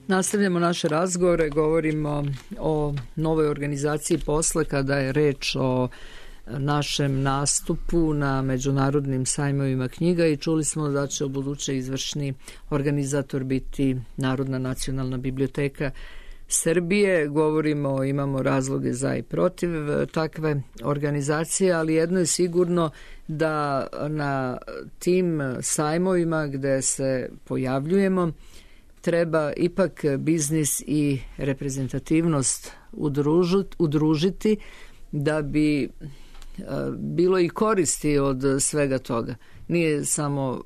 Nastavljamo naše razgovore, govorimo o novoj organizaciji posle kada je reč o našem nastupu na međunarodnim sajmovima knjiga i čuli smo da će u buduće izvršni organizator biti Narodna nacionalna biblioteka Srbije. Govorimo, imamo razloge za i protiv takve organizacije, ali jedno je sigurno da na tim sajmovima gde se pojavljujemo treba ipak biznis i reprezentativnost udružiti da bi bilo i koristi od svega toga. Nije samo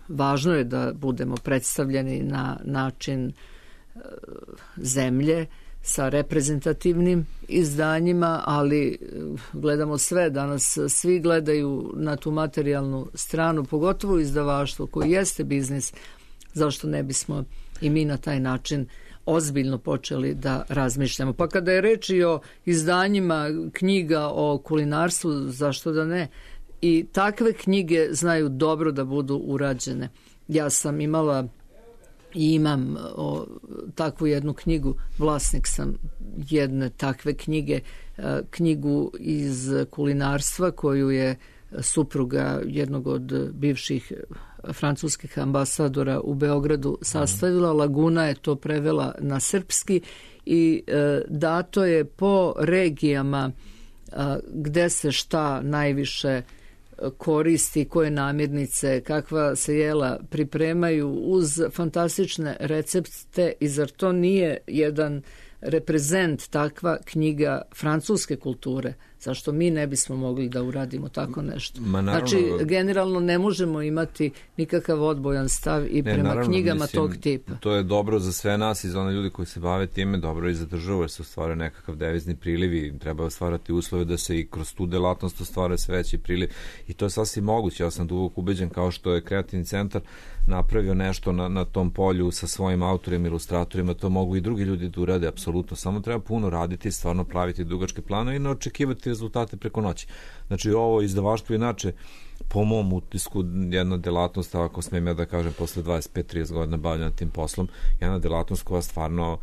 važno je da budemo predstavljeni na način zemlje sa reprezentativnim izdanjima, ali gledamo sve danas, svi gledaju na tu materijalnu stranu, pogotovo izdavaštvo koji jeste biznis. Zašto ne bismo i mi na taj način ozbiljno počeli da razmišljamo? Pa kada je reč i o izdanjima knjiga o kulinarstvu, zašto da ne? I takve knjige znaju dobro da budu urađene. Ja sam imala i imam takvu jednu knjigu, vlasnik sam jedne takve knjige, knjigu iz kulinarstva koju je supruga jednog od bivših francuskih ambasadora u Beogradu sastavila. Laguna je to prevela na srpski i dato je po regijama gde se šta najviše koristi, koje namirnice, kakva se jela pripremaju uz fantastične recepte. I zar to nije jedan reprezent, takva knjiga francuske kulture? Zašto mi ne bismo mogli da uradimo tako nešto? Znači, generalno ne možemo imati nikakav odbojan stav i prema knjigama tog tipa. To je dobro za sve nas i za one ljudi koji se bave time, dobro i za državu, jer se ostvaruje nekakav devizni priliv i treba ostvarati uslove da se i kroz tu delatnost ostvaruje sve veći priliv. I to je sasvim moguće. Ja sam duboko ubeđen, kao što je Kreativni centar napravio nešto na tom polju sa svojim autorima, ilustratorima, to mogu i drugi ljudi da urade, apsolutno. Samo treba puno raditi, stvarno praviti dugačke planove i ne očekivati rezultate preko noći. Znači, ovo izdavaštvo inače, po mom utisku, jedna delatnost, ako smijem ja da kažem, posle 25-30 godina bavljena tim poslom, jedna delatnost koja stvarno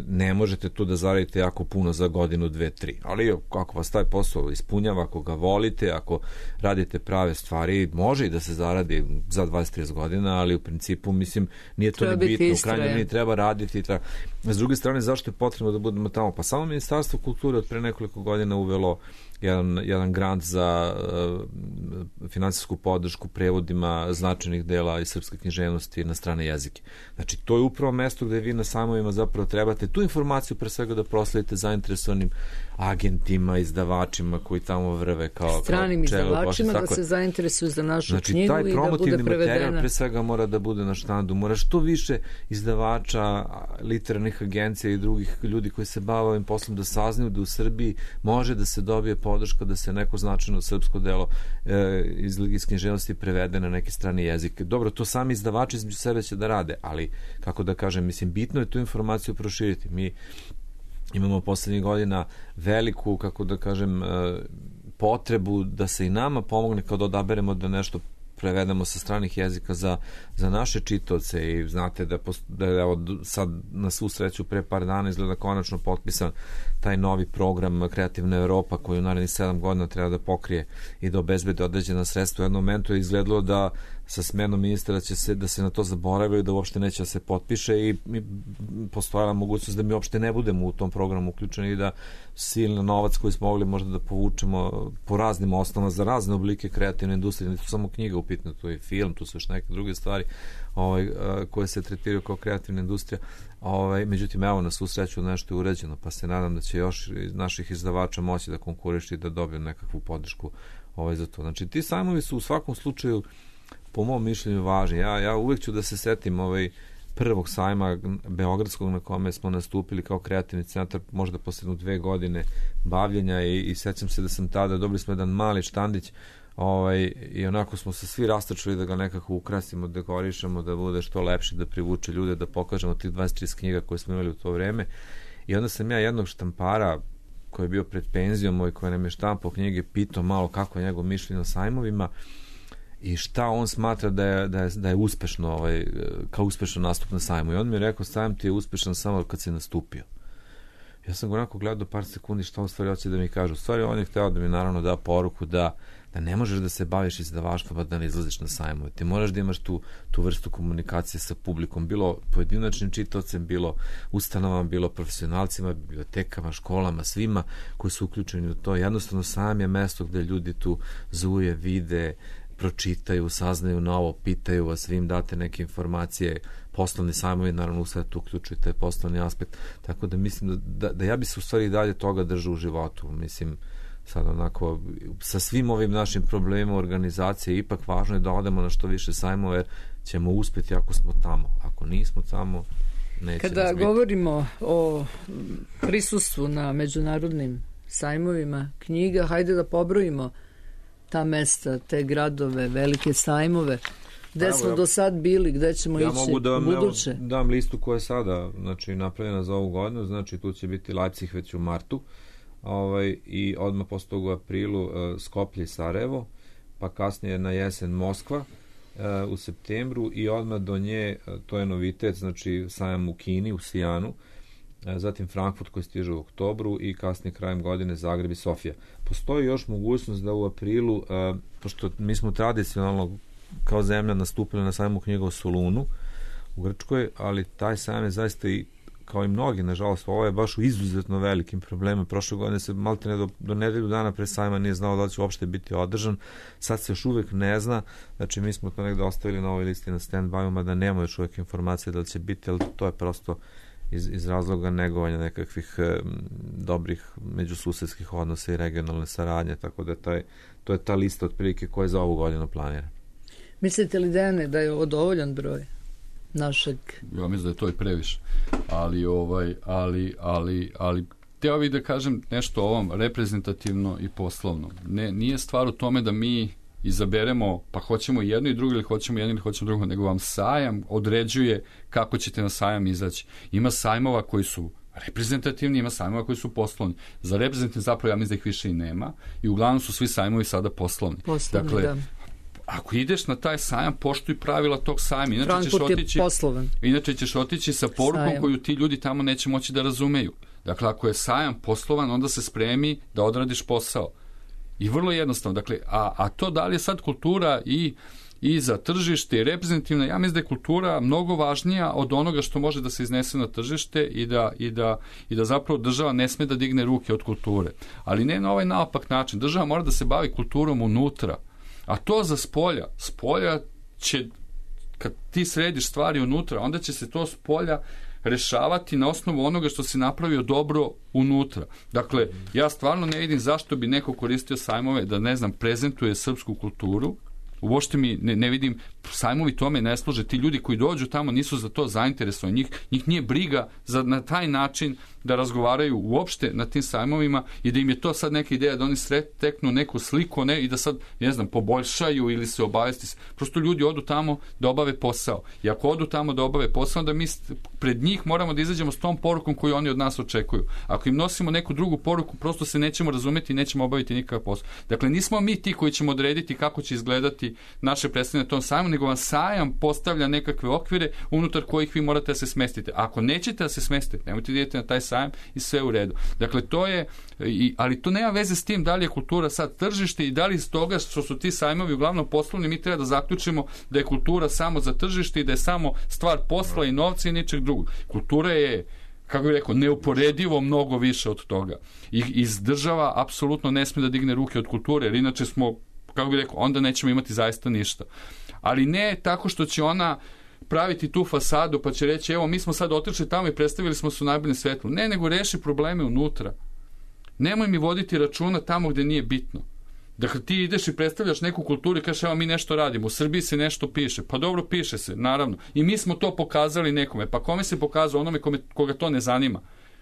ne možete tu da zaradite jako puno za godinu, 2-3. Ali ako vas taj posao ispunjava, ako ga volite, ako radite prave stvari, može i da se zaradi za 20-30 godina, ali u principu, mislim, nije to ni bitno. U krajnjoj liniji treba raditi. S druge strane, zašto je potrebno da budemo tamo? Pa samo Ministarstvo kulture od pre nekoliko godina uvelo jedan grant za finansijsku podršku prevodima značajnih dela iz srpske književnosti na strane jezike. Znači, to je upravo mesto gde vi na sajmovima zapravo trebate tu informaciju pre svega da prosledite zainteresovanim agentima, izdavačima koji tamo vrve kao stranim izdavačima da se zainteresuju za našu knjigu i da bude prevedena. Znači, taj promotivni materijal pre svega mora da bude na štandu. Mora što više izdavača, literarnih agencija i drugih ljudi koji se bave ovim poslom da saznaju da u Srbiji može da se dobije podrška da se neko značajno srpsko delo iz književnosti prevede na neki strani jezik. Dobro, to sami izdavači između sebe će da rade, ali kako da kažem, mislim, bitno je tu informaciju proširiti. Mi imamo poslednjih godina veliku, kako da kažem, potrebu da se i nama pomogne kao da odaberemo da nešto prevedemo sa stranih jezika za naše čitaoce i znate da je sad na svu sreću pre par dana izgleda konačno potpisan taj novi program Kreativna Evropa koji u narednih 7 godina treba da pokrije i da obezbedi određena sredstva. U jednom momentu je izgledalo da sa smenom ministra da se na to zaboravio i da uopšte neće da se potpiše i postojala mogućnost da mi uopšte ne budemo u tom programu uključeni i da silni novac koji smo mogli možda da povučemo po raznim osnovama za razne oblike kreativne industrije, ne tu samo knjiga upitna, tu je film, tu su još neke druge stvari koje se tretiraju kao kreativna industrija. Međutim, evo, na svu sreću nešto je urađeno, pa se nadam da će još naših izdavača moći da konkurišu i da dobiju nekakvu podršku za to. Znači, ti sajmovi su u svakom slučaju po mom mišljenju važni. Ja uvek ću da se setim prvog sajma beogradskog na kome smo nastupili kao kreativni centar, možda posle 2 godine bavljenja i sećam se da sam tada, dobili smo jedan mali štandić i onako smo se svi rastačili da ga nekako ukrasimo, dekorišemo, da bude što lepše, da privuče ljude, da pokažemo tih 23 knjiga koje smo imali u to vreme. I onda sam ja jednog štampara koji je bio pred penzijom i koji nam je štampao knjige pitao malo kako je njegov mišljenje o sajmovima i šta on smatra da je uspešno, kao uspešan nastup na sajmu. I on mi je rekao, sajam ti je uspešan samo kad si nastupio. Ja sam ga onako gledao par sekundi šta u stvari hoće da mi kaže. U stvari on je hteo da mi naravno da poruku da ne možeš da se baviš izdavaštvom a da ne izlaziš na sajmove. Ti moraš da imaš tu vrstu komunikacije sa publikom, bilo pojedinačnim čitaocem, bilo ustanovama, bilo profesionalcima, bibliotekama, školama, svima koji su uključeni u to. Jednostavno sajam je mesto gde ljudi tu zuje, vide, pročitaju, saznaju novo, pitaju vas, vi im date neke informacije, poslovni sajmovi, naravno u sve tu uključuju taj poslovni aspekt, tako da mislim da ja bi se u stvari dalje toga držao u životu. Mislim, sad onako, sa svim ovim našim problemima organizacije, ipak važno je da odemo na što više sajmove, jer ćemo uspjeti ako smo tamo. Ako nismo tamo, neće nas biti. Kada govorimo o prisustvu na međunarodnim sajmovima knjiga, hajde da pobrojimo ta mesta, te gradove, velike sajmove, gde smo do sad bili, gde ćemo ići u buduće. Ja mogu dam listu koja je sada napravljena za ovu godinu, znači tu će biti Leipzig već u martu, i odmah posle toga u aprilu Skoplje i Sarajevo, pa kasnije na jesen Moskva, u septembru i odmah do nje, to je novitet, znači sajam u Kini, u Sijanu, zatim Frankfurt koji stiže u oktobru i kasnije krajem godine Zagreb i Sofija. Postoji još mogućnost da u aprilu, pošto mi smo tradicionalno kao zemlja nastupili na sajmu knjiga u Solunu u Grčkoj, ali taj sajam je zaista i kao i mnogi, nažalost, ovo je baš u izuzetno velikim problemima. Prošle godine se maltene do nedelju dana pre sajma nije znao da li će uopšte biti održan. Sad se još uvek ne zna. Znači, mi smo to negde ostavili na ovoj listi na stand-by, mada nema još uvek informacije da li će biti, ali to je prosto iz razloga negovanja nekakvih dobrih međususedskih odnosa i regionalne saradnje, tako da to je ta lista otprilike koja za ovu godinu planira. Mislite li, Dejane, da je ovo dovoljan broj našeg? Ja mislim da je to i previše. Ali hteo bih da kažem nešto o ovom reprezentativno i poslovno. Nije stvar u tome da mi izaberemo, pa hoćemo jedno i drugo ili hoćemo jedno ili hoćemo drugo, nego vam sajam određuje kako ćete na sajam izaći. Ima sajmova koji su reprezentativni, ima sajmova koji su poslovni. Za reprezentativni zapravo ja mislim da ih više i nema i uglavnom su svi sajmovi sada poslovni. Dakle, da. Ako ideš na taj sajam, poštuj pravila tog sajma. Inače ćeš otići sa porukom sajam koju ti ljudi tamo neće moći da razumeju. Dakle, ako je sajam poslovan, onda se spremi da odradiš posao. I vrlo jednostavno. Dakle, a to da li je sad kultura i za tržište i reprezentativna, ja mislim da je kultura mnogo važnija od onoga što može da se iznese na tržište i da zapravo država ne sme da digne ruke od kulture. Ali ne na ovaj naopak način. Država mora da se bavi kulturom unutra. A to za spolja će, kad ti središ stvari unutra, onda će se to spolja rešavati na osnovu onoga što si napravio dobro unutra. Dakle, ja stvarno ne vidim zašto bi neko koristio sajmove da, ne znam, prezentuje srpsku kulturu. Uopšte mi ne vidim, sajmovi tome ne služe. Ti ljudi koji dođu tamo nisu za to zainteresovani. Njih nije briga na taj način da razgovaraju uopšte na tim sajmovima i da im je to sad neka ideja da oni steknu neku sliku i da sad, ne znam, poboljšaju ili se obavesti. Prosto ljudi odu tamo da obave posao. I ako odu tamo da obave posao, onda mi pred njih moramo da izađemo s tom porukom koju oni od nas očekuju. Ako im nosimo neku drugu poruku, prosto se nećemo razumeti i nećemo obaviti nikakav posao. Dakle, nismo mi ti koji ćemo odrediti kako će izgledati naše predstavljanje na tom sajmu, nego vam sajam postavlja nekakve okvire unutar kojih vi morate da se smestite. Ako nećete da se smestite, nemojte da idete na taj sajam i sve u redu. Dakle, to je, ali to nema veze s tim da li je kultura sad tržište i da li iz toga što su ti sajmovi uglavnom poslovni, mi treba da zaključimo da je kultura samo za tržište i da je samo stvar posla i novca i ničeg drugog. Kultura je, kako bih rekao, neuporedivo mnogo više od toga. I iz država apsolutno ne smije da digne ruke od kulture, jer inače smo, kako bih rekao, onda nećemo imati zaista ništa. Ali ne tako što će ona praviti tu fasadu pa će reći evo mi smo sad otišli tamo i predstavili smo se u najboljem svetlu. Ne, nego reši probleme unutra. Nemoj mi voditi računa tamo gde nije bitno. Dakle, ti ideš i predstavljaš neku kulturu i kažeš evo mi nešto radimo, u Srbiji se nešto piše. Pa dobro, piše se, naravno. I mi smo to pokazali nekome. Pa kome se pokazao? Onome koga to ne zanima.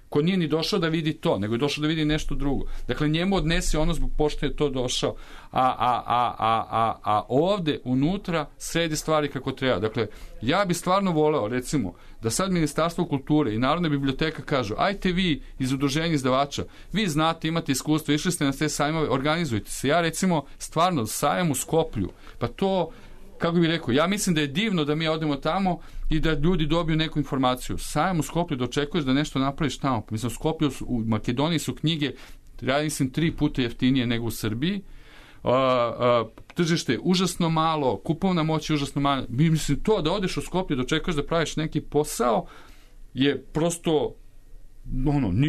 Ko nije ni došao da vidi to, nego je došao da vidi nešto drugo. Dakle, njemu odnesi ono zbog pošto je to došao. A ovde, unutra, sredi stvari kako treba. Dakle, ja bi stvarno voleo, recimo, da sad Ministarstvo kulture i Narodna biblioteka kažu, ajte vi iz udruženja izdavača, vi znate, imate iskustvo, išli ste na te sajmove, organizujte se. Ja, recimo, stvarno, sajam u Skoplju, pa to, kako bih rekao, ja mislim da je divno da mi odemo tamo i da ljudi dobiju neku informaciju. Sajam u Skoplju da očekuješ da nešto napraviš tamo. Mislim, u Skoplju, u Makedoniji su knjige, ja mislim, 3 puta jeftinije nego u Srbiji. Tržište je užasno malo, kupovna moć je užasno malo. Mislim, to da odeš u Skoplju da očekuješ da praviš neki posao je prosto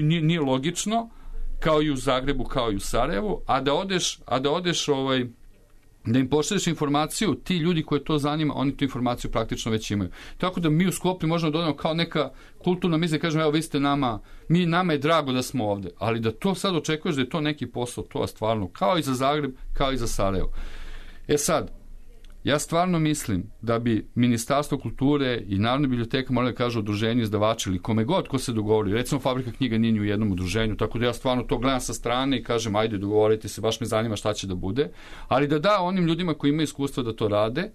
nije logično, kao i u Zagrebu, kao i u Sarajevu, a da odeš da im pošalješ informaciju, ti ljudi koje to zanima, oni tu informaciju praktično već imaju. Tako da mi u Skoplju možemo dodati kao neka kulturna misla, kažemo, evo vi ste nama je drago da smo ovde, ali da to sad očekuješ da je to neki posao, to je stvarno, kao i za Zagreb, kao i za Sarajevo. Sad, ja stvarno mislim da bi Ministarstvo kulture i Narodna biblioteka morali da kažu udruženju izdavača ili kome god ko se dogovori. Recimo, Fabrika knjiga nije ni u jednom udruženju, tako da ja stvarno to gledam sa strane i kažem, ajde, dogovorite se, baš me zanima šta će da bude, ali da onim ljudima koji imaju iskustvo da to rade,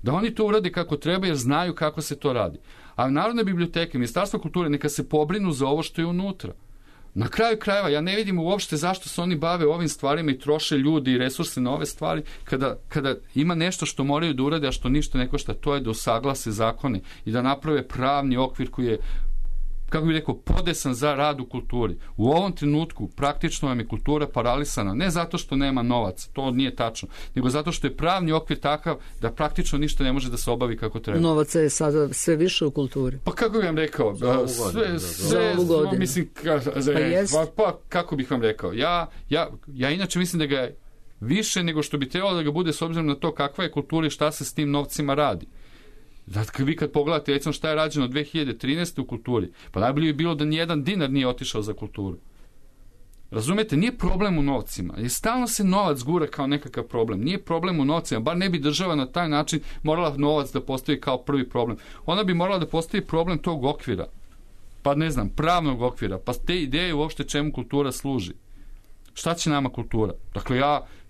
da oni to urade kako treba jer znaju kako se to radi. A Narodna biblioteka i Ministarstvo kulture neka se pobrinu za ovo što je unutra. Na kraju krajeva, ja ne vidim uopšte zašto se oni bave ovim stvarima i troše ljudi i resurse na ove stvari, kada ima nešto što moraju da urade, a što ništa ne košta, to je da usaglase zakone i da naprave pravni okvir koji je, kako bih rekao, podesan za rad u kulturi. U ovom trenutku praktično vam je kultura paralisana, ne zato što nema novac, to nije tačno, nego zato što je pravni okvir takav da praktično ništa ne može da se obavi kako treba. Novaca je sada sve više u kulturi. Pa kako bih vam rekao, mislim, kako bih vam rekao, ja inače mislim da ga je više nego što bi trebalo da ga bude s obzirom na to kakva je kultura i šta se s tim novcima radi. Zato vi kad pogledate, recimo šta je rađeno 2013. u kulturi, pa najbolje bi bilo da nijedan dinar nije otišao za kulturu. Razumete, nije problem u novcima. I stalno se novac gura kao nekakav problem. Nije problem u novcima, bar ne bi država na taj način morala novac da postavi kao prvi problem. Ona bi morala da postavi problem tog okvira. Pa ne znam, pravnog okvira. Pa te ideje uopšte čemu kultura služi. Šta će nama kultura? Dakle,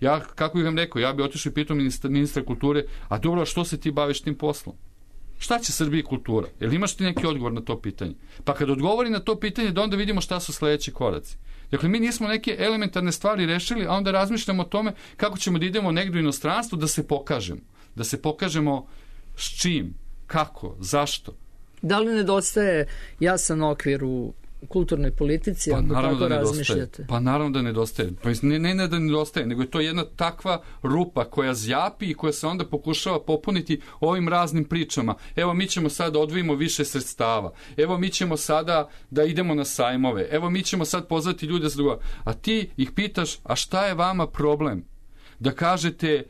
ja kako bih vam rekao, ja bi otišao i pitao ministra kulture, a dobro, što se ti baviš tim poslom? Šta će Srbiji kultura? Jel imaš ti neki odgovor na to pitanje? Pa kad odgovori na to pitanje, da onda vidimo šta su sledeći koraci. Dakle, mi nismo neke elementarne stvari rešili, a onda razmišljamo o tome kako ćemo da idemo negdje u inostranstvo da se pokažemo. Da se pokažemo s čim, kako, zašto. Da li nedostaje jasan okvir u kulturnoj politici, ako tako razmišljate? Pa naravno da nedostaje. Pa ne da nedostaje, nego je to jedna takva rupa koja zjapi i koja se onda pokušava popuniti ovim raznim pričama. Evo, mi ćemo sada odvojimo više sredstava. Evo, mi ćemo sada da idemo na sajmove. Evo, mi ćemo sad pozvati ljude za drugo. A ti ih pitaš, a šta je vama problem? Da kažete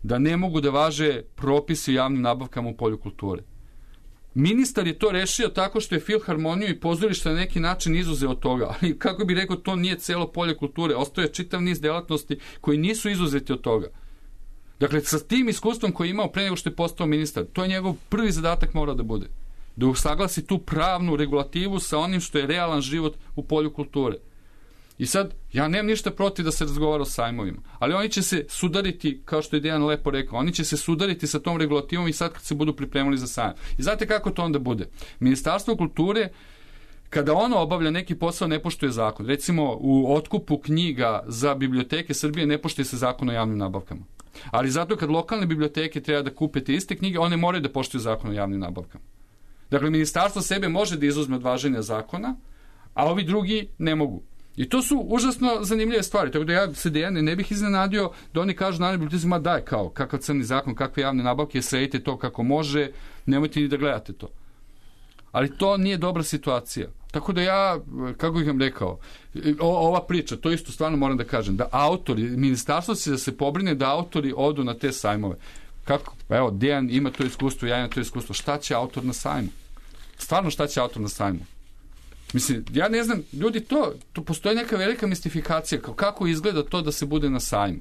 da ne mogu da važe propisi o javnim nabavkama u polju kulture. Ministar je to rešio tako što je filharmoniju i pozorište na neki način izuzeo od toga, ali kako bi rekao, to nije celo polje kulture, ostaje čitav niz delatnosti koji nisu izuzeti od toga. Dakle, sa tim iskustvom koji je imao pre nego što je postao ministar, to je njegov prvi zadatak mora da bude. Da usaglasi tu pravnu regulativu sa onim što je realan život u polju kulture. I sad, ja nemam ništa protiv da se razgovara o sajmovima, ali oni će se sudariti, kao što je Dejan lepo rekao, oni će se sudariti sa tom regulativom i sad kad se budu pripremali za sajam. I znate kako to onda bude? Ministarstvo kulture, kada ono obavlja neki posao, ne poštuje zakon. Recimo, u otkupu knjiga za biblioteke Srbije ne poštuje se zakon o javnim nabavkama. Ali zato kad lokalne biblioteke treba da kupe te iste knjige, one moraju da poštuju zakon o javnim nabavkama. Dakle, ministarstvo sebe može da izuzme od važenja zakona, a ovi drugi ne mogu. I to su užasno zanimljive stvari, tako da ja se Dejane ne bih iznenadio da oni kažu na bibliotecima, daj kao, kakav crni zakon, kakve javne nabavke, sredite to kako može, nemojte ni da gledate to. Ali to nije dobra situacija. Tako da ja, kako bih vam rekao, ova priča, to isto stvarno moram da kažem, da autori, ministarstvo će da se pobrine da autori odu na te sajmove. Kako? Evo, Dejan ima to iskustvo, ja imam to iskustvo. Šta će autor na sajmu? Stvarno šta će autor na sajmu? Mislim, ja ne znam, ljudi, to postoji neka velika mistifikacija, kako izgleda to da se bude na sajmu.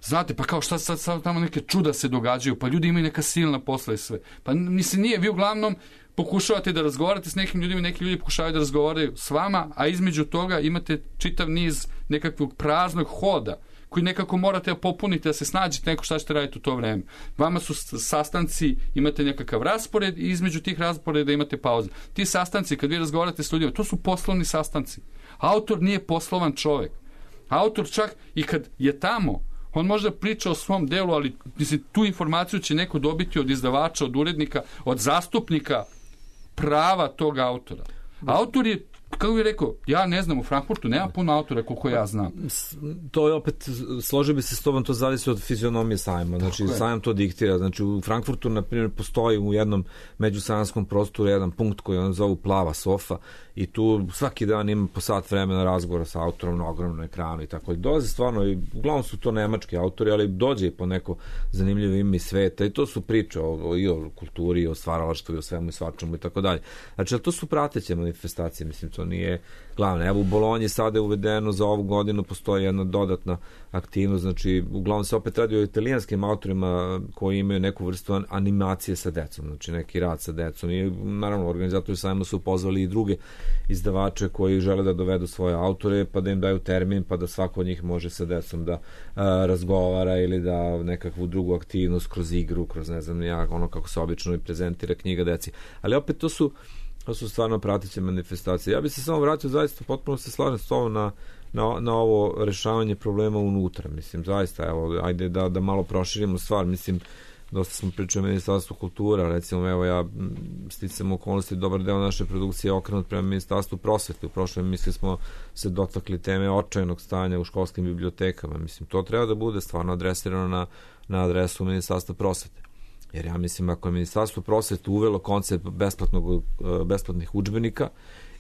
Znate, pa kao šta sad tamo neke čuda se događaju, pa ljudi imaju neka silna posla i sve. Pa mislim, nije, vi uglavnom pokušavate da razgovarate s nekim ljudima, neki ljudi pokušavaju da razgovaraju s vama, a između toga imate čitav niz nekakvog praznog hoda, koji nekako morate popuniti da se snađete neko šta ćete raditi u to vreme. Vama su sastanci, imate nekakav raspored i između tih rasporeda imate pauze. Ti sastanci, kad vi razgovarate s ljudima, to su poslovni sastanci. Autor nije poslovan čovek. Autor čak i kad je tamo, on možda priča o svom delu, ali mislim, tu informaciju će neko dobiti od izdavača, od urednika, od zastupnika prava tog autora. Autor je, kako bih rekao, ja ne znam, u Frankfurtu nema puno autora koliko ja znam. To je opet, složio bi se s tobom, to zavisi od fizionomije sajma. Znači, sajam to diktira. Znači, u Frankfurtu, na primjer, postoji u jednom međusajamskom prostoru jedan punkt koji on zovu plava sofa i tu svaki dan ima po sat vremena razgovora sa autorom na ogromnom ekranu i tako. Dolaze stvarno, i uglavnom su to nemački autori, ali dođe i po neko zanimljivo ime iz sveta i to su priče i o kulturi, i o stvaralaštvu, i o svemu i svačemu i tako dalje. Znači, to su prateće manifestacije, mislim, to nije glavno. Evo, u Bolonji sada je uvedeno za ovu godinu, postoji jedna dodatna aktivnost, znači, uglavnom se opet radi o italijanskim autorima koji imaju neku vrstu animacije sa decom, znači neki rad sa decom i naravno organizatori sajma su pozvali i druge izdavače koji žele da dovedu svoje autore, pa da im daju termin, pa da svako od njih može sa decom da razgovara ili da nekakvu drugu aktivnost kroz igru, kroz ne znam ja, ono kako se obično i prezentira knjiga deci. Ali opet to su To su stvarno prateće manifestacije. Ja bih se samo vratio, zaista potpuno se slažem s tobom na ovo rešavanje problema unutra. Mislim, zaista, evo, ajde da malo proširimo stvar. Mislim, dosta smo pričali o Ministarstvu kultura, recimo, evo ja sticam okolnosti, dobar deo naše produkcije je okrenut prema Ministarstvu prosvete. U prošloj emisiji smo se dotakli teme očajnog stanja u školskim bibliotekama. Mislim, to treba da bude stvarno adresirano na adresu Ministarstva prosvete. Jer ja mislim, ako je Ministarstvo prosvete uvelo koncept besplatnih udžbenika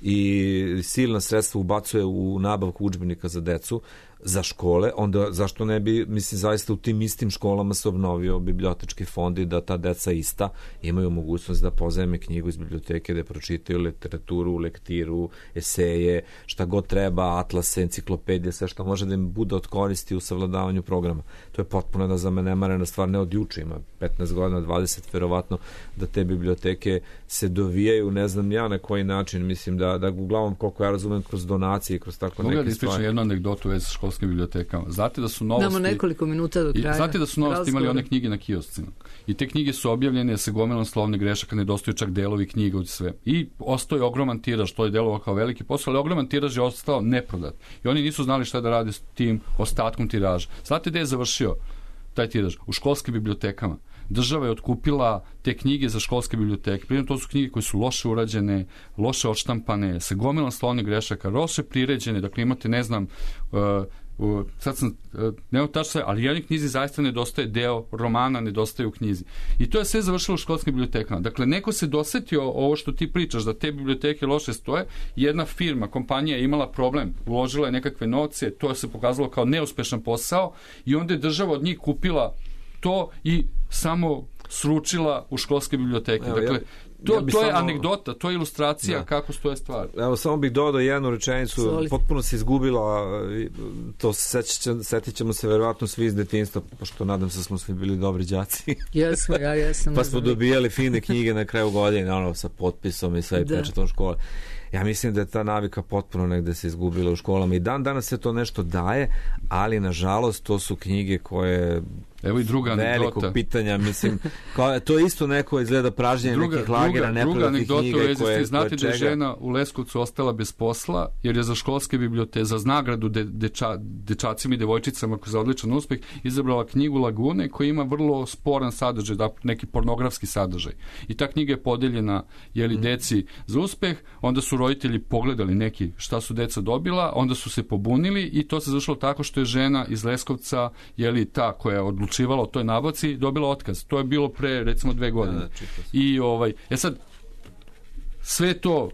i silna sredstva ubacuje u nabavku udžbenika za decu, za škole, onda zašto ne bi, mislim, zaista u tim istim školama se obnovio bibliotečki fond i da ta deca ista imaju mogućnost da pozajme knjigu iz biblioteke, da pročitaju literaturu, lektiru, eseje, šta god treba, atlase, enciklopedije, sve što može da im bude od koristi u savladavanju programa. To je potpuno da zanemarena stvar, ne od juče, ima 15 godina, 20 verovatno, da te biblioteke se dovijaju, ne znam ja na koji način, mislim da uglavnom, koliko ja razumem, kroz donacije, kroz tako neke stvari. Mogu da ispričam jednu anegdotu već sa školskim bibliotekama. Znate da su novosti... Damo nekoliko minuta do kraja. Znate da su novosti imali one knjige na kioscima. I te knjige su objavljene sa gomilom slovnih grešaka, nedostaju čak delovi knjiga od sve. I ostao ogroman tiraž, to je delovao kao veliki posao, ali ogroman tiraž je ostao neprodat. I oni nisu znali šta da rade s tim ostatkom tiraža. Znate gde je završio taj tiraž? U školskim bibliotekama. Država je otkupila te knjige za školske biblioteke. Pritom to su knjige koje su loše urađene, loše odštampane, sa gomilom slovnih grešaka, loše priređene, dakle imate, ne znam, sad sam, nema tačno sve, ali jednoj knjizi zaista nedostaje deo romana, nedostaje u knjizi. I to je sve završilo u školskim bibliotekama. Dakle, neko se dosetio ovo što ti pričaš, da te biblioteke loše stoje, jedna firma, kompanija je imala problem, uložila je nekakve novce, to se pokazalo kao neuspešan posao i onda je država od njih kupila to i samo sručila u školske biblioteke. Evo, dakle, to je anegdota, to je ilustracija kako stoje stvari. Evo, samo bih dodao jednu rečenicu, potpuno se izgubila, to setit ćemo se verovatno svi iz detinjstva, pošto nadam se da smo svi bili dobri đaci. Jesmo, ja jesam. Pa smo dobijali fine knjige na kraju godine, ono, sa potpisom i sve pečatom škole. Ja mislim da je ta navika potpuno negde se izgubila u školama i danas se to nešto daje, ali nažalost to su knjige koje... Evo i druga anegdota. Velikog pitanja, mislim, to je isto neko izgleda pražnjenje nekih lagera, neprodatih knjiga koje znate da je žena u Leskovcu ostala bez posla, jer je za školske biblioteke, za nagradu dečacima i devojčicama za odličan uspeh, izabrala knjigu Lagune koja ima vrlo sporan sadržaj, neki pornografski sadržaj. I ta knjiga je podeljena deci za uspeh, onda su roditelji pogledali neki šta su deca dobila, onda su se pobunili i to se završilo tako što je žena iz Leskovca, ta koja je odlučila o toj nabavci, dobila otkaz. To je bilo pre, recimo, 2 godine. I sad, sve to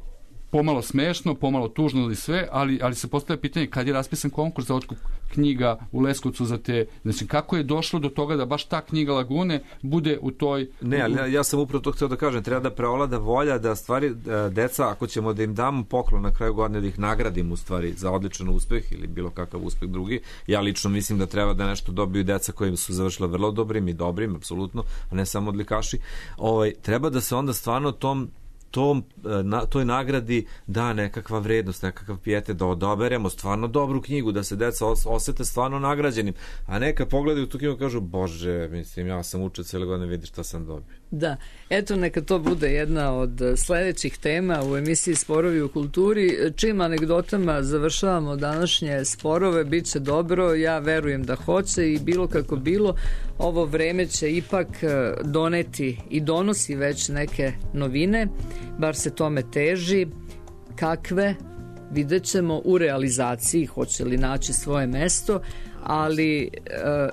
pomalo smešno, pomalo tužno ili sve, ali se postavlja pitanje kad je raspisan konkurs za otkup knjiga u Leskovcu za te, znači kako je došlo do toga da baš ta knjiga Lagune bude u toj... Ne, ali ja sam upravo to htio da kažem, treba da preovlada volja da stvari deca, ako ćemo da im damo poklon na kraju godine, da ih nagradimo u stvari za odličan uspeh ili bilo kakav uspeh drugi, ja lično mislim da treba da nešto dobiju deca koji su završila vrlo dobrim i dobrim, apsolutno, a ne samo odlikaši, treba da se onda stvarno toj nagradi da nekakva vrednost, nekakav pijetet, da odaberemo stvarno dobru knjigu, da se deca osete stvarno nagrađenim, a neka pogledaju tu knjigu i kažu, bože, mislim, ja sam učio cijele godine, vidi šta sam dobio. Da, eto, neka to bude jedna od sledećih tema u emisiji Sporovi u kulturi. Čim anegdotama završavamo današnje sporove, bit će dobro, ja verujem da hoće i bilo kako bilo, ovo vreme će ipak doneti i donosi već neke novine, bar se tome teži. Kakve? Vidjet ćemo u realizaciji, hoće li naći svoje mesto, ali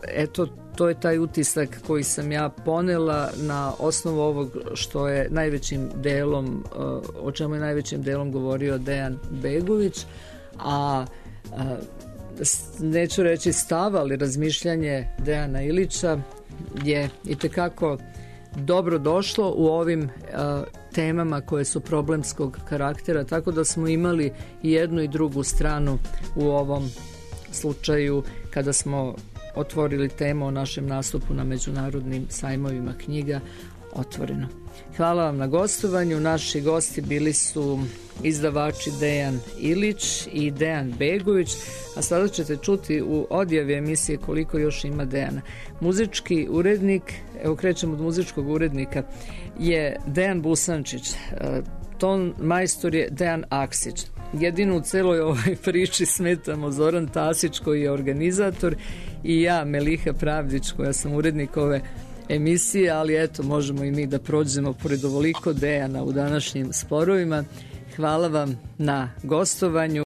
eto, to je taj utisak koji sam ja ponela na osnovu ovog što je najvećim delom, o čemu je najvećim delom govorio Dejan Begović, a neću reći stav, ali razmišljanje Dejana Ilića je itekako dobro došlo u ovim temama koje su problemskog karaktera, tako da smo imali i jednu i drugu stranu u ovom slučaju kada smo otvorili temu o našem nastupu na međunarodnim sajmovima knjiga Otvoreno. Hvala vam na gostovanju. Naši gosti bili su izdavači Dejan Ilić i Dejan Begović, a sada ćete čuti u odjavi emisije koliko još ima Dejana. Muzički urednik, evo krećemo od muzičkog urednika, je Dejan Busančić. ton majstor je Dejan Aksić. Jedino u celoj ovoj priči smetamo Zoran Tasić koji je organizator i ja, Meliha Pravdić, koja sam urednik ove emisije, ali eto, možemo i mi da prođemo pored ovoliko Dejana u današnjim sporovima. Hvala vam na gostovanju.